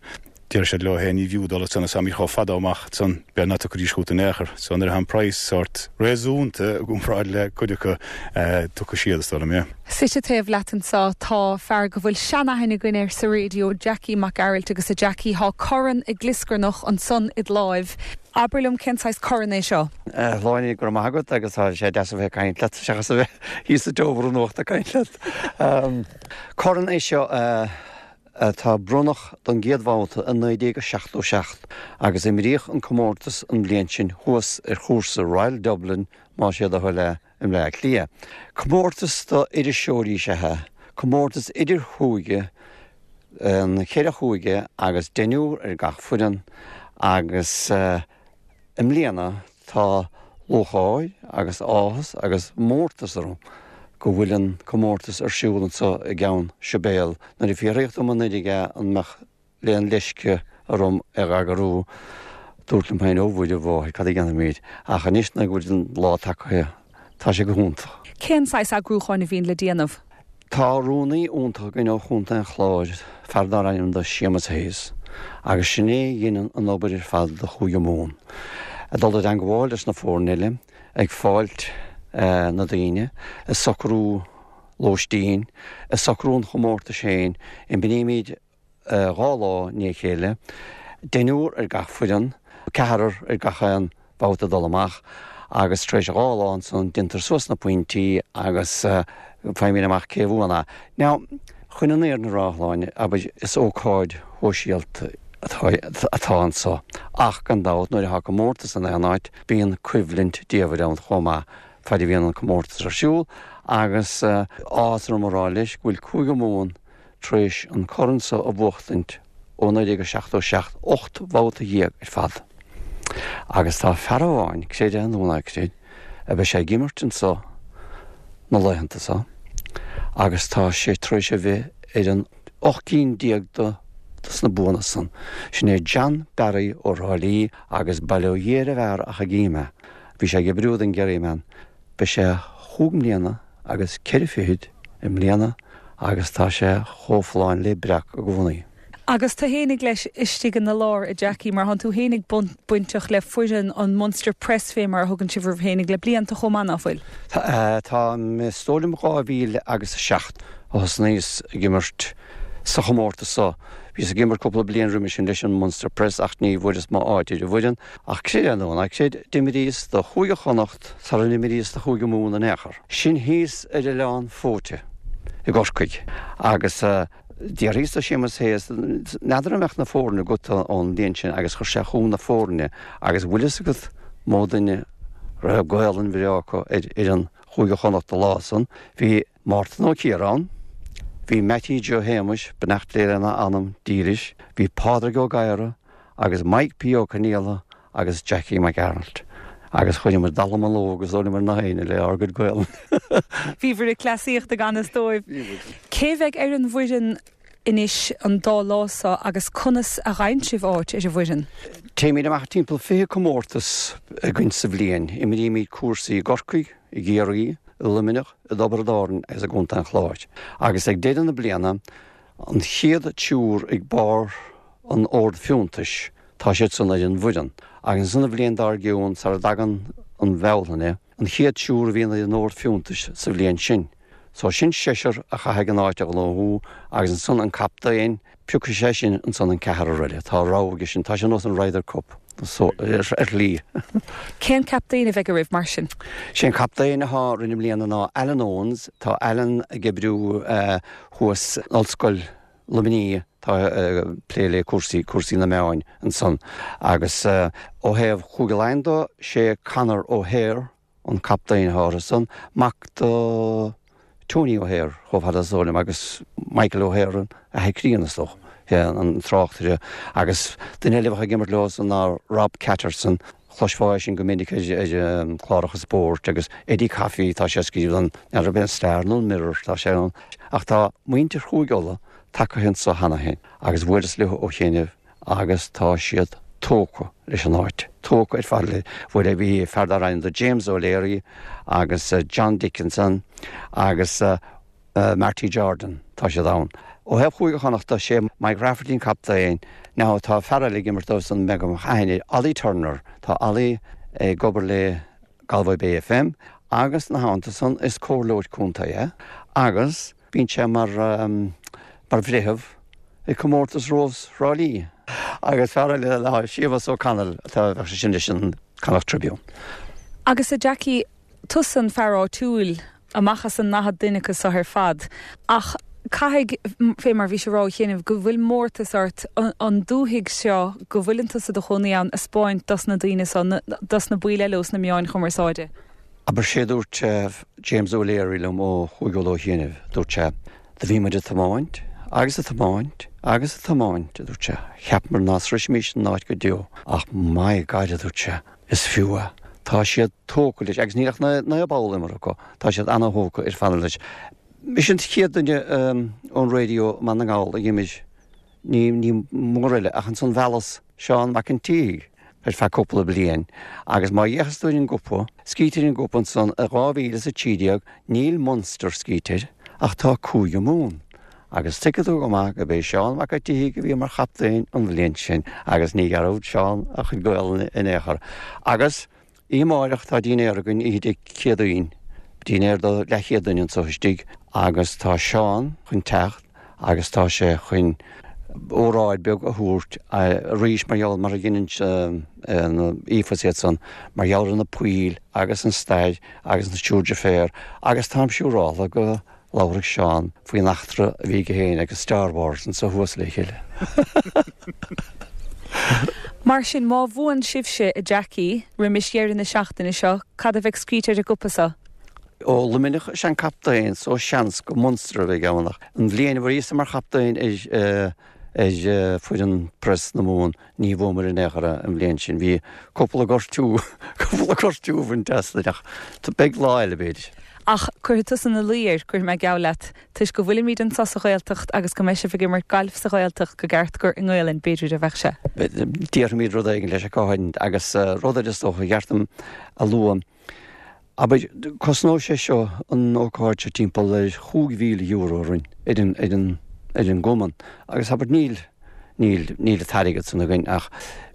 [SPEAKER 5] Deir siad leo féin, ní bhfiú dul ansan, is táimid chomh fada amach ansan, b'fhéidir nach dtiocfaidís chugat in aon chor. So nuair atá an praghas sórt réasúnta i gcomparáid le cuid acu, tiocfaidh siad, is dóigh liom, yeah.
[SPEAKER 1] Suite taobh leat anso tá fear go bhfuil seanaithne againn air sa raidió, Jackie Mac Gearailt agus a Jackie, thá corn ag glioscarnach ansan id láimh. Abair liom cén saghas corn é seo?
[SPEAKER 6] A Shláine, go raibh maith agat agus tá sé deas a bheith ag caint leat seachas a bheith thíos sa tseomra nuachta ag caint leat. Corn é seo atá bronnadh don gcéad bhabhta i 1977 agus imríodh an comórtas an bhliain sin thuas ar chúrsa Royal Dublin, más é do thoil é, i mBleá Cliath. Comórtas do iriseoirí is ea é, comórtas idir-chúige, an cheithre chúige agus deichniúr ar gach foireann agus i mbliana tá lúcháir agus áthas agus mórtas orm go bhfuil an comórtas ar siúl anseo i gCeann Sibéal. Nuair a fiafraíodh dom anuraidh é an mbeadh aon leisce orm é a eagrú, dúrt liom féin, ó Mhuire mháthair, cad a dhéanfaimid? Ach anois nuair go bhfuil an lá tagtha, tá sé go hiontach.
[SPEAKER 1] Cén saghas eagrúcháin a bhíonn le déanamh?
[SPEAKER 6] Tá rúnaí iontach againn ó Chontae an Chláir, fear dár ainm do Séamus Hayes, agus sin é a dheineann an obair ar fad do Chúige Mumhan. Ag dul i dteangmháil leis na foirne eile, ag fáilt na daoine, ag socrú lóistín, ag socrú an chomórtais féin, imrímid 2 lá i ndiaidh a chéile, deichniúr ar gach foireann, ceathrar ar gach aon bhabhta dul amach agus tar éis 2 lá ansan déantar suas na pointí agus faighimid amach cé a bhuann é. Now, chun an fhírinne a rá, a Shláine, abair, is ócáid shóisialta atá anso ach gan dabht nuair atá comórtas in aon áit bíonn coimhlint diamhair ann chomh maith fad a bhíonn an comórtas ar siúl agus áthas orm a rá leis go bhfuil Cúige Mumhan tar éis an corn so a bhuachtaint ó 1977, 18 mbabhta ar fad. Agus tá fear amháin, creid é nó ná creid, a beidh sé ag imirt anso na laethanta so agus tá sé tar éis a bheith ar an 18 gcinn de sna buanna san. Sin é John Barry ó Thrá Lí agus bail ó Dhia ar an bhfear ach ag ime. Bhí sé ag oibriú don Kerryman. Beidh sé chúig mbliana agus ceithre fichid i mbliana agus tá sé chomh folláin le breac i gcónaí.
[SPEAKER 1] Agus tú fhéinig leis istigh ina lár, a Jackie, mar thánn tú fhéinig bainteach le foireann an Munster Press fé mar a thugann sibh oraibh fhéinig le blianta chomh maith, ná fuil?
[SPEAKER 6] Tá, is dóigh liom 2007 a thosnaíos ag imirt sa chomórtas so. Bhíos ag imirt cúpla bliain roimhe sin leis an Munster Press ach ní bhfuaireas m'áit ar an bhfoireann. Ach creid é nó ná creid, d'imríos do Chúige Chonnacht sara n-imríos do Chúige Mumhan in aon chor. Sin thíos ar Oileán Fóite i gCorcaigh agus d'fhiafraíos de Séamus Hayes, n'fheadar an mbeadh na foirne agat ón bhliain sin agus chuir sé chugam na foirne agus bhfuil fhios agat mó duine raibh Gaolainn bhreá acu ar fhoireann Chúige Chonnacht an lá san. Bhí Mártan Ó Ciaráin, bhí Mattie Joe Shéamuis, beannacht Dé lena anam dílis, bhí Pádraig Ó Gadhra agus Mike P. Ó Conaola agus Jackie Mac Gearailt agus chuireamar dallamullóg is dóigh liom ar na héinne le ár gcuid Gaolainne.
[SPEAKER 1] Bhíobhair ag cleasaíocht i gan fhios dóibh. Cé bheidh ar an bhfoireann anois an dá lá seo agus conas a fhaigheann sibh áit ar an bhfoireann?
[SPEAKER 6] Téimid amach timpeall 20 comórtas againn sa bhliain. Imrímid cúrsaí i gCorcaigh, i gCiarraí, i Luimneach, i dTiobraid Árann agus i gContae an Chláir. Agus ag deireadh na bliana, an chéad triúr ag barr an ord fiúntais, tá siad san ar an bhfoireann. Agus ansan an bhliain dár gcionn, sara dtagann an Bhealtaine, an chéad triúr a bhíonn ar an ord fiúntais sa bhliain sin. So sin seisear a chaithfidh an áit a ghnóthú agus ansan an captaen, piocfaidh sé sin ansan an ceathrar eile. Tá rogha aige sin. Tá sé ar nós an Ryder Cup so ar shlí.
[SPEAKER 1] Cén captaen a bheidh oraibh mar sin?
[SPEAKER 6] Sé an captaen atá orainn i mbliana ná Alan Owens. Tá Alan ag oibriú thuas in Ollscoil Luimnigh. Tá ag plé le cúrsaí, cúrsaí na meáin ansan agus ó thaobh Chúige Laighean de, sé Conor O'Hare an captaen atá orthu san, mac do Tony O'Hare chomh fada is dóigh liom agus Michael O'Hare an athair críonna is dócha, an tráchtaire agus duine eile a bheadh ag imirt leo san ná Rob Catterson, chloisfeá é sin go minic ar chláracha spóirt agus Eddie Coffey, tá sé ag scríobh don, n'fheadar ab é an Star nó an Mirror, tá sé ann. Ach tá muintir Chúige Uladh tagtha anso cheana féin agus bhuaileas leo ó chianaibh agus tá siad tógtha leis an áit, tógtha ar fad le, bhuel bhí fear darbh ainm do James O'Leary agus John Dickinson agus Marty Jordan, tá siad ann. Ó thaobh Chúige Chonnachta, sé Mike Rafferty an captaen, now tá fear eile ag imirt dóibh san, b'fhéidir go mbeadh aithne air, Ollie Turner, tá Ollie ag obair le Galway Bay FM agus ina theannta san is comhairleoir contae é agus Bíonn sé mar mar bhreitheamh ag comórtas Rós Thrá Lí. Agus fear eile ná Séamus O'Connell atá bheadh sé sin leis an Connacht Tribune.
[SPEAKER 1] Agus a Jackie, tusa an fear áitiúil amach as an 40 duine acu seo ar fad, ach caithfidh, fé mar bhís ag rá ó chianaibh, go bhfuil mórtas ort an dúthaigh seo go bhfuileann tusa i do chónaí ann a 'speáint dos na daoine seo, dos na baill eile ós na meáin chumarsáide.
[SPEAKER 6] Abair sé dúirt James O'Leary liom ó Chúige Uladh ó chianaibh, dúirt sé, do bhí muid ag tiomáint agus ag tiomáint agus ag tiomáint, a dúirt sé, cheapamar ná sroisfimís an áit go deo ach my God, a dúirt sé, is fiú é. Tá siad tógtha leis agus níl ach 9 ball imeartha acu, tá siad ana-thógtha ar fad leis. Mise an chéad duine ón raidió i mBaile na nGall a d'imir, ní mór eile ach ansan mheallas Seán Mac an tSíthigh ar feadh cúpla bliain agus má fhéachas tú ar an gcupa, scríte ar an gcupa ansan i 2013 níl Munster scríte air ach tá Cúige Mumhan. Agus tuigfidh tú go maith go b'é Seán Mac a' tSíthigh a bhí mar chaptaen an bhliain sin agus ní dhearúd Seán a chuid Gaolainne in aon chor. Agus oíche amáireach tá dinnéar againn oíche Dé Céadaoin, dinnéar do leathchéad duine anso istigh agus tá Seán chun teacht agus tá sé chun óráid beag a thabhairt arís mar gheall mar a dheineann na FIFA is iad san, mar gheall ar na poill agus an stair agus na triúr deirféar agus táim siúráltha go labharfaidh Seán faoin eachtra a bhí aige féin agus Star Wars anso thuas le chéile.
[SPEAKER 1] Mar sin, má bhuann sibhse, a Jackie, roimis dheireadh na seachtaine seo, cad a bheidh scríte ar an gcupa so?
[SPEAKER 6] Ó Luimneach is ea an captaen so seans gur Munster a bheidh ann ach an bhliain a bhíos-sa mar chaptaen ar ar foireann Press na Mumhan ní bhuamar in aon chor an bhliain sin. Bhí cúpla gortú cúpla gortú ag baint as ach beidh lá eile b'fhéidir.
[SPEAKER 1] Ach cuirfidh tusa ina luí air, cuirfidh mé geall leat, toisc go bhfuilimid anso sa Ghaeltacht agus go mbeidh sibh ag imirt gailf sa Ghaeltacht go gceart gur i nGaelainn b'fhéidir a bheadh sé.
[SPEAKER 6] Déarfaimid rud éigin leis ach go háirithe agus rud eile is dócha ba cheart dom a lua. Abair, cosnóidh sé seo, an ócáid seo, timpeall ar €5,000 orainn, ar an, ar an, ar an gcumann. Agus abair, níl, níl, níl an t-airgead san againn ach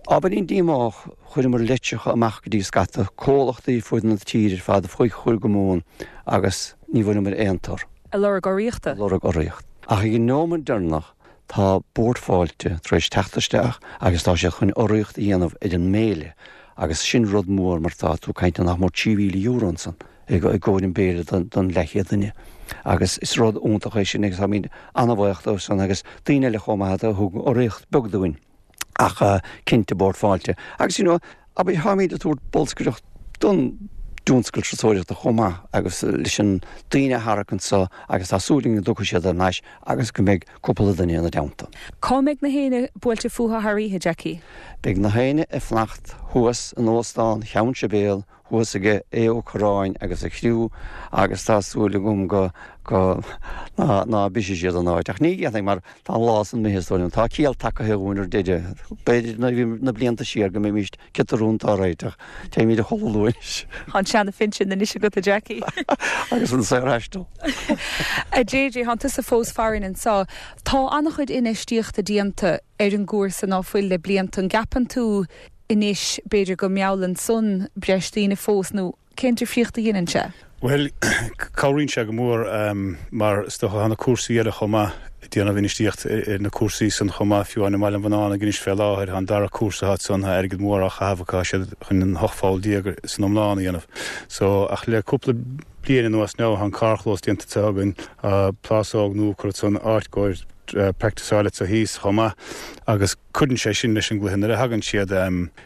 [SPEAKER 6] ábhairín díomách, chuireamar litreacha amach go dtí scata comhlachtaí fud na tíre ar fad, faoi Chúige Mumhan agus ní bhfuaireamar aon tor.
[SPEAKER 1] Ag lorg urraíochta?
[SPEAKER 6] Ag lorg urraíocht. Ach ag an neomat deireanach tá Bord Fáilte tar éis teacht isteach agus tá siad chun urraíocht a dhéanamh ar an mbéile agus sin rud mór mar tá tú ag caint ar nach mór €3,000 ansan i gcomhair an béile don leathchéad duine agus is rud iontach é sin agus táimid an-bhuíoch dóibh san agus daoine eile chomh maith a thug urraíocht beag dúinn. Ach cinnte Bord Fáilte. Agus you know, abair, táimid ag tabhairt bolscaireacht don dtionscal turasóireachta chomh maith agus leis an daoine a tharrac anso agus tá súil againn go dtiocfaidh siad thar n-ais agus go mbeidh cúpla duine ina dteannta.
[SPEAKER 1] Cá mbeidh na héinne buailte fúthu thar oíche, Jackie?
[SPEAKER 6] Beidh na héinne ag fanacht thuas in Óstán Cheann Sibéal thuas aige Aodh Ó Corráin agus a chriú agus tá súil agam go go ná ná brisfidh siad an áit. Ach ní dhéanfaidh mar tá an lá san imithe is dóigh liom. Tá ciall tagaithe dhúinn ar deireadh. B'fhéidir nuair a bhí na blianta siar go mbeimis giota rúnda á réiteach. Téimid a chodladh luath anois.
[SPEAKER 1] Tá an seana-phinsean anois agat a Jackie.
[SPEAKER 6] Agus an saorthaisteal.
[SPEAKER 1] A JJ, thánn tusa fós farainn anseo. Tá an-chuid infheistíochta déanta ar an gcúrsa ná fuil le blianta. An gceapann tú anois, b'fhéidir go meallann san breis daoine fós, nó cén difríocht a dheineann sé?
[SPEAKER 5] Bhuel, cabhraíonn sé go mór mar is dócha tá na cúrsaí eile chomh maith ag déanamh infheistíocht ar na cúrsaí san chomh maith, fiú amháin i mBaile an Bhunánaigh anois fé láthair, tá an dara cúrsa atá ansan, tá airgead mór á chaitheamh acu, tá siad chun an 18 pholl san iomlán a dhéanamh. So, ach le cúpla bliain anuas now, tá an carrchlós déanta anseo againn, tá plásóg nua curtha ansan, áit gcomhair practiceáil anseo thíos chomh maith agus, Cuireann sé sin leis an gcluiche. Nuair a thagann siad,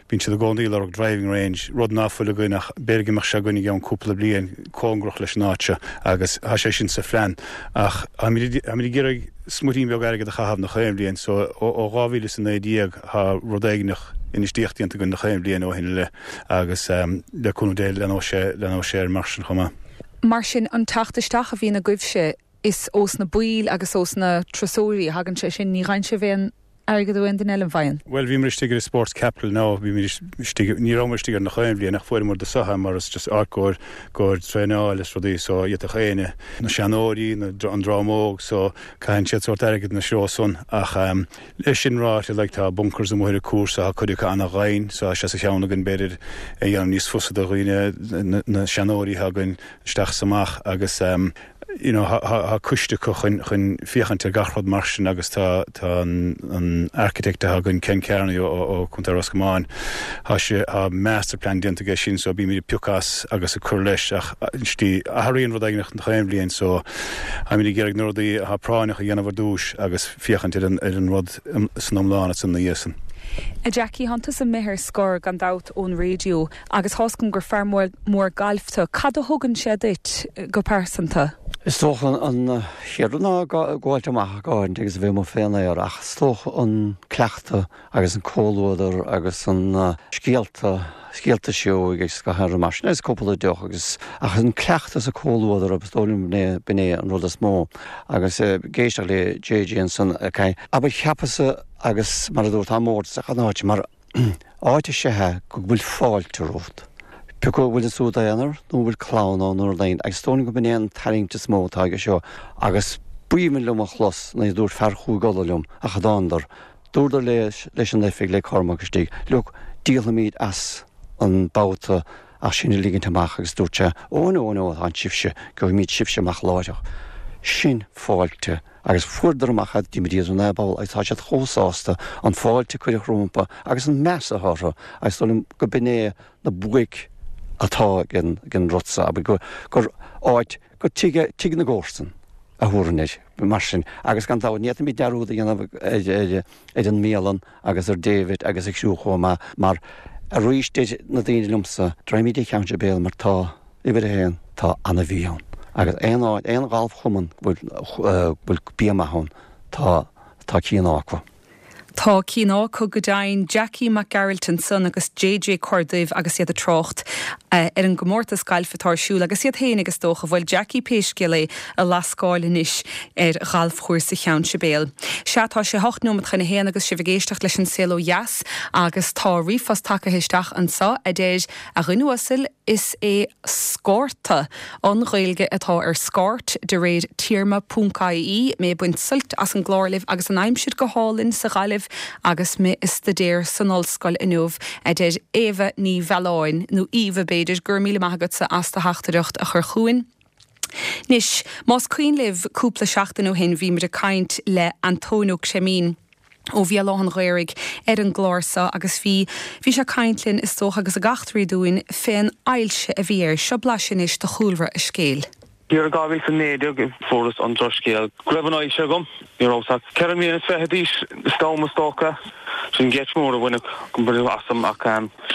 [SPEAKER 5] bíonn siad i gcónaí ag lorg driving range, rud ná fuil againn ach b'fhéidir go mbeadh sé againn i gceann cúpla bliain, cóngarach leis an áit seo agus tá sé sin sa phlean. Ach táimid ag iarraidh smuirín beag airgead a chaitheamh nach aon bhliain so ó 2019 tá rud éigineach infheistíocht déanta againn nach aon bhliain ó shin i leith agus le cúnamh Dé leanóidh sé leanóidh sé air mar sin chomh maith.
[SPEAKER 1] Mar sin, an teacht isteach a bhíonn agaibhse, Is ós na baill agus ós na turasóirí a thagann sé sin, ní fhaigheann sibh aon airgead ó aon duine eile, an bhfaigheann?
[SPEAKER 5] Bhuel, bhíomar istigh ar Sports Capital now, bhíomar istigh, ní rabhamar istigh ar nach aon bhliain ach fuaireamar do sotha mar is just áit gcomhair, gcomhair traenáil is rudaí so d'fhéadfadh éinne, na seanóirí, na, an dream óg so caitheann siad sórt airgead ina threo san ach leis sin ráite like tá bunkers amuigh ar an cúrsa, tá cuid acu ana-dhoimhin so tá sé sa cheann againn b'fhéidir é a dhéanamh níos fusa do dhaoine, na, na seanóirí atá againn isteach is amach agus you know tá coiste acu chun chun féachaint ar gach rud mar sin agus tá tá an an architect atá againn Ken Kearney ó ó Contae Ros Comáin tá sé tá master plan déanta aige sin so bímid ag piocadh as agus ag cur leis ach slí athraíonn rud éigin nach aon bhliain so táimid ag iarraidh na rudaí atá práinneach a dhéanamh ar dtús agus féachaint ar an ar an rud san iomlán ansan ina dhiaidh san.
[SPEAKER 1] A Jackie, thánn tusa imithe ar scor gan dabht ón raidió. Agus tá's agam gur fear mór gailf tú. Cad a thugann sé duit go pearsanta?
[SPEAKER 6] Is dócha an chéad rud ná gabháilt amach go háirithe agus a bheith amuigh fén aer ach is dócha an cleachtadh agus an comhluadar agus an scéalta, scéalta sióg agus gach aon rud mar sin agus cúpla deoch agus ach an cleachtadh is an comhluadar is dóigh liom b'in é an rud is mó agus ag éisteacht le JJ ansan abair cheapas-sa agus mar a dúirt tá mórtas ag an áit mar Áit is ea é go bhfuil fáilte romhat. Pé acu an bhfuil tú i d'aonar nó an bhfuil clann ann nó rud éigin, agus is dóigh liom go b'in é an tarraingt is mó atá aige seo agus. B'aoibhinn liom a chlos nuair a dúirt fear Chúige Uladh liom ach a dtánadar, dúradar leis an oifig, le Cormac istigh, look, díolfaimid as an babhta ach sinn a ligint amach agus dúirt sé, oh no, no, tá sibhse, gheobhaimid sibhse amach láithreach. Sin fáilte agus fuaireadar amach iad, d'imríodar in aghaidh ball agus tá siad chomh sásta an fáilte a cuireadh rompu agus an meas atá orthu agus dóigh liom go b'in é na buaic atá ag an rud so, abair, gur, gur áit, gur tigh, tigh na gcomharsan a thabharfainn air, mar sin. Agus gan dabht, ní fhéadfaimid dearúd a dhéanamh ar, ar, ar an mbialann agus ar David agus a chriú chomh maith, mar arís deir na daoine liomsa, Droim de Cheann Sibéal mar tá, uimhir a haon, tá ana-bhia ann. Agus aon áit, aon ghalfchumann go bhfuil, go bhfuil bia maith ann, tá, tá cian acu.
[SPEAKER 1] Tá cian acu go deimhin, Jackie Mac Gearailt ansan agus JJ Corr Duibh agus iad ag trácht ar an gcomórtas gailf atá ar siúl agus iad féinig is dócha, bhuel Jackie pé scéal é, ag lascáil anois ar ghalfchúrsa Cheann Sibéal. Sea, tá sé hocht neomat chun a haon agus sibh ag éisteacht leis an Saol Ó Dheas agus tá ríomhphost tagtha isteach anso a deir, A dhuine uasail, is é scárta an Ghaeilge atá ar scairt de réir téarma ponc ie, mé ag baint suilt as an gclár libh agus an aimsir go hálainn sa Ghaillimh agus mé ag staidéar san ollscoil inniu, a deir Éabha Ní Mhealláin, nó Aoibhe b'fhéidir, go raibh míle maith agatsa as do theachtaireacht a chur chugainn. Anois, más cuimhin libh cúpla seachtain ó shin bhí muid ag caint le Antóin Ó Creimín ó Bhéal Átha an Ghaorthaidh ar an gclár seo agus bhí, bhí sé ag caint linn is dócha agus ag eachtraí dúinn fén ailse a bhí air. Seo blaiseadh anois de chúlra a scéil.
[SPEAKER 7] Thiar i 2019 fuaireas an drochscéal go raibh an ailse agam. Ní rabhas ach 24 mbliana d'aois san am is dócha. Sin geit mór a baineadh asam ach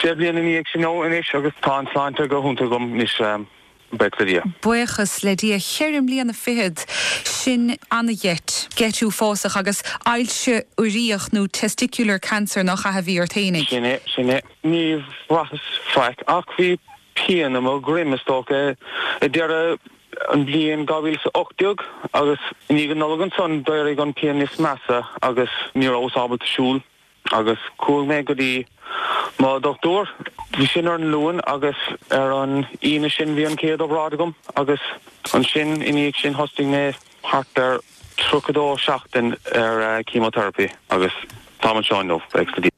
[SPEAKER 7] sé bliana ina dhiaidh sin anois agus tá an tsláinte go hiontach agam anois. Buíochas le Dia.
[SPEAKER 1] Buíochas le Dia. Cheithre mbliana fichead, sin ana-gheit, geit uafásach agus ailse uiríoch nó testicular cancer nach ea a bhí ort fhéinig?
[SPEAKER 7] Sin é, sin é. Ní bhraitheas faic ach bhí pian i mo dhroim is dócha i deireadh an bhliain 2018 agus i ndiaidh an Nollag ansan d'éirigh an pian níos measa agus ní rabhas ábalta siúl. Agus chuaigh mé go dtí mo dhochtúir. Bhí sin ar an Luan agus ar an Aoine sin bhí an chéad obráid agam agus ansin i ndiaidh sin thosnaigh mé thart ar 32 seachtain ar chemotherapy agus táim anseo inniu, buíochas le Dia.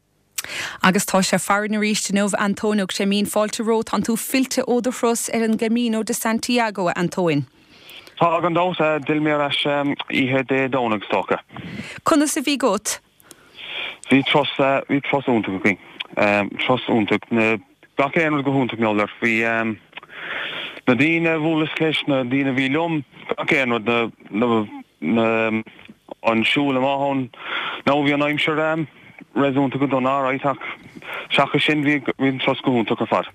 [SPEAKER 1] Agus tá sé farainn arís inniu, a Antóin Ó Creimín, fáilte romhat, tánn tú fillte ó do thuras ar an gCamino de Santiago, a Antóin.
[SPEAKER 7] Tá, gan dabht, d'fhill mé ar ais oíche Dé Domhnaigh is dócha.
[SPEAKER 1] Conas a bhí agat?
[SPEAKER 7] Bhí turas, bhí turas iontach againn. Turas iontach. Na, gach aon rud go hiontach mar gheall air. Bhí na daoine a bhuaileas leis, na daoine a bhí liom, gach aon rud, na, na, na, an siúl amach ann. Now bhí an aimsir réasúnta go dona alright ach seachas sin bhí, bhí an turas go hiontach ar fad.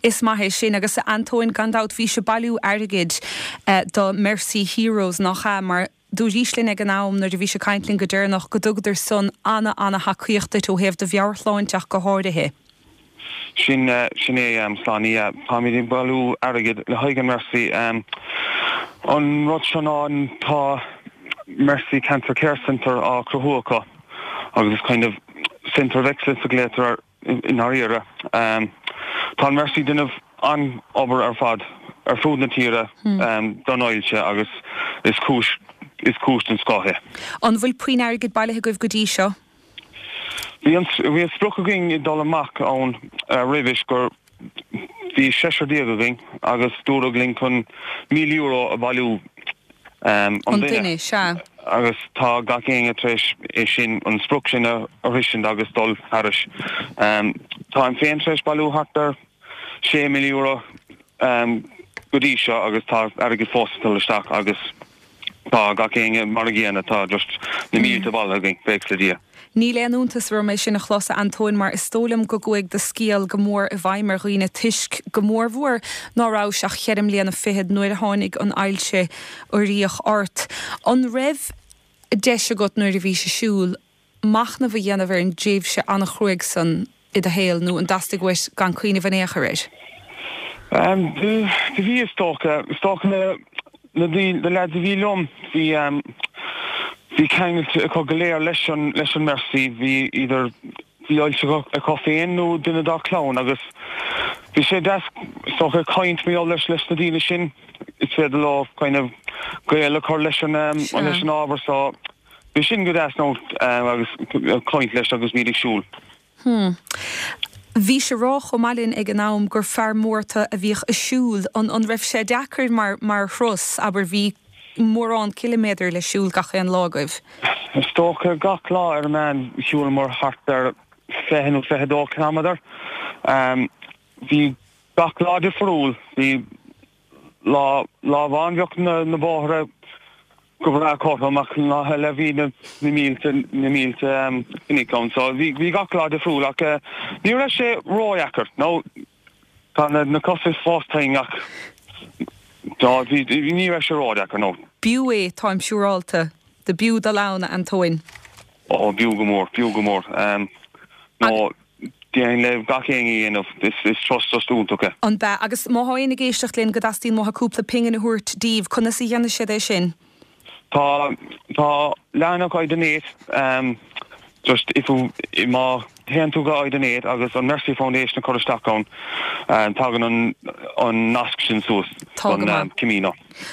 [SPEAKER 1] Is maith é sin. Agus a Antóin, gan dabht bhís ag bailiú airgid do Mercy Heroes, nach ea? Mar Dúraís linn ag an am nuair a bhís ag caint linn go deireanach go dtugadar san ana-ana-thacaíocht duit ó thaobh do mheabhairshláinte ach go háirithe.
[SPEAKER 7] Sin, sin é, Sláine, yeah. Táimid ag bailiú airgid le haghaidh an Mercy. An rud seo ná tá Mercy Cancer Care Centre á cruthú acu agus is kind of centre of excellence a ghlaotar air. I ndáiríre, tá an Mercy ag déanamh an-obair ar fad ar fud na tíre don ailse agus is cúis is cúis den scoth é.
[SPEAKER 1] An bhfuil puinn airgid bailithe agaibh go dtí seo?
[SPEAKER 7] Bhí an bhí an sprioc againn ag dul amach ann roimhis gur bhí seisear déag againn agus dúradh linn chun €1,000 a bhailiú an
[SPEAKER 1] An duine. duine, sea.
[SPEAKER 7] Agus tá gach éinne tar éis é sin, an sprioc sin a shroisint agus dul thairis. Táim féin tar éis bailiú thart ar €6,000 go dtí seo agus tá airgead fós ag dul isteach agus tá gach éinne mar a gcéanna, tá just na mílte bailithe againn, buíochas le Dia.
[SPEAKER 1] Níl aon iontas orm é sin a chlos, a Antóin, mar is dóigh liom go gcuaigh do scéal go mór i bhfeidhm ar dhaoine toisc, go mórmhór, ná rabhais ach cheithre mbliana fichead nuair a tháinig an ailse uiríoch ort. An raibh deis agat nuair a bhís ag siúl, machnamh a dhéanamh ar an dtréimhse an-chruaidh san i do shaol nó an dteastaigh uait gan cuimhneamh in aon chor air?
[SPEAKER 7] Do bhí is dócha. Is dócha na na na leaids a bhí liom bhí bhí ceangal acu go léir leis an leis an Mercy, bhí either bhí ailse acu féin nó duine dá clann agus bhí sé deas is dócha caint mar gheall leis leis na daoine sin. is féidir leo kind of gaol a chur leis an leis an ábhar so bhí sin go deas nó agus caint leis agus muid ag siúl.
[SPEAKER 1] Hmm. Bhís ag rá chomh maith linn ag an am gur fear mór tú a bhíodh ag siúl. An an raibh sé deacair mar mar thuras, abair bhí mórán ciliméadar le siúl gach aon lá agaibh?
[SPEAKER 7] Is dócha gach lá ar an meán shiúlamar thart ar 20 nó 22 cileamadar. Bhí gach lá difriúil. Bhí lá lá amháin bheadh na na bóithre go breá cothrom ach lá eile bhí na na mílte na mílte cnoic ann so bhí bhí gach lá difriúil ach ní raibh sé ródheacair nó tá na na cosa fós tinn ach tá bhí ní raibh sé ródheacair
[SPEAKER 1] nó. B'fhiú é, táim siúrálta. Do b'fhiú dul ann, a Antóin.
[SPEAKER 7] Ó b'fhiú go mór, b'fhiú go mór. Nó déarfainn le gach éinne a dhéanamh, is turas just iontach é.
[SPEAKER 1] An b'ea? Agus má thá éinne ag éisteacht linn go dteastaíonn uathu cúpla pingin a thabhairt díbh, conas a dhéanfaidh siad é sin?
[SPEAKER 7] Tá, tá leathanach iDonate, just if you, má théann tú go iDonate agus an Mercy Foundation a chur isteach ann, tagann an, an nasc sin suas
[SPEAKER 1] Tá go
[SPEAKER 7] don
[SPEAKER 1] maith.
[SPEAKER 7] Camino.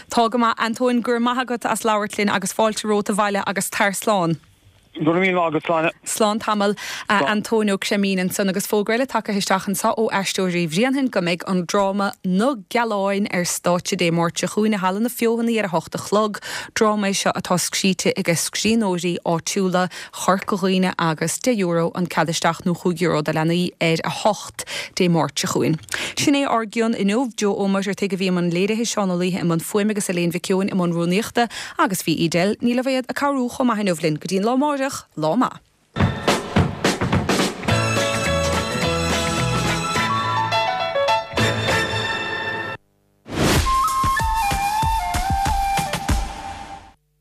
[SPEAKER 1] Tá go maith. Antóin, go raibh maith agat as labhairt linn agus fáilte romhat abhaile agus tar slán.
[SPEAKER 7] Go raibh míle maith agat, Sláine.
[SPEAKER 1] Slán tamall, a Antóin Ó Creimín ansan agus fógra eile tagtha isteach anso ó Aisteoirí Bhréanainn go mbeidh an dráma Na Gealáin ar stáitse Dé Máirt seo chugainn i Halla na Feothanaí ar a hocht a chlog. Dráma é seo atá scríte aige scríbhneoirí áitiúla Chorca Dhuibhne agus €10 an cead isteach nó €5 do leanaí ar a hocht Dé Máirt seo chugainn. Sin é ár gcion inniu. Joe Ó Muircheartaigh a bhí i mbun léirithe, Seán Ó Laoithe i mbun fuaime agus Elaine Mhic Eoin i mbun rúnaíochta. Agus bhí Edel Ní Loibhéad ag cabhrú chomh maith inniu linn. Go dtí an lá amáireach, lá maith.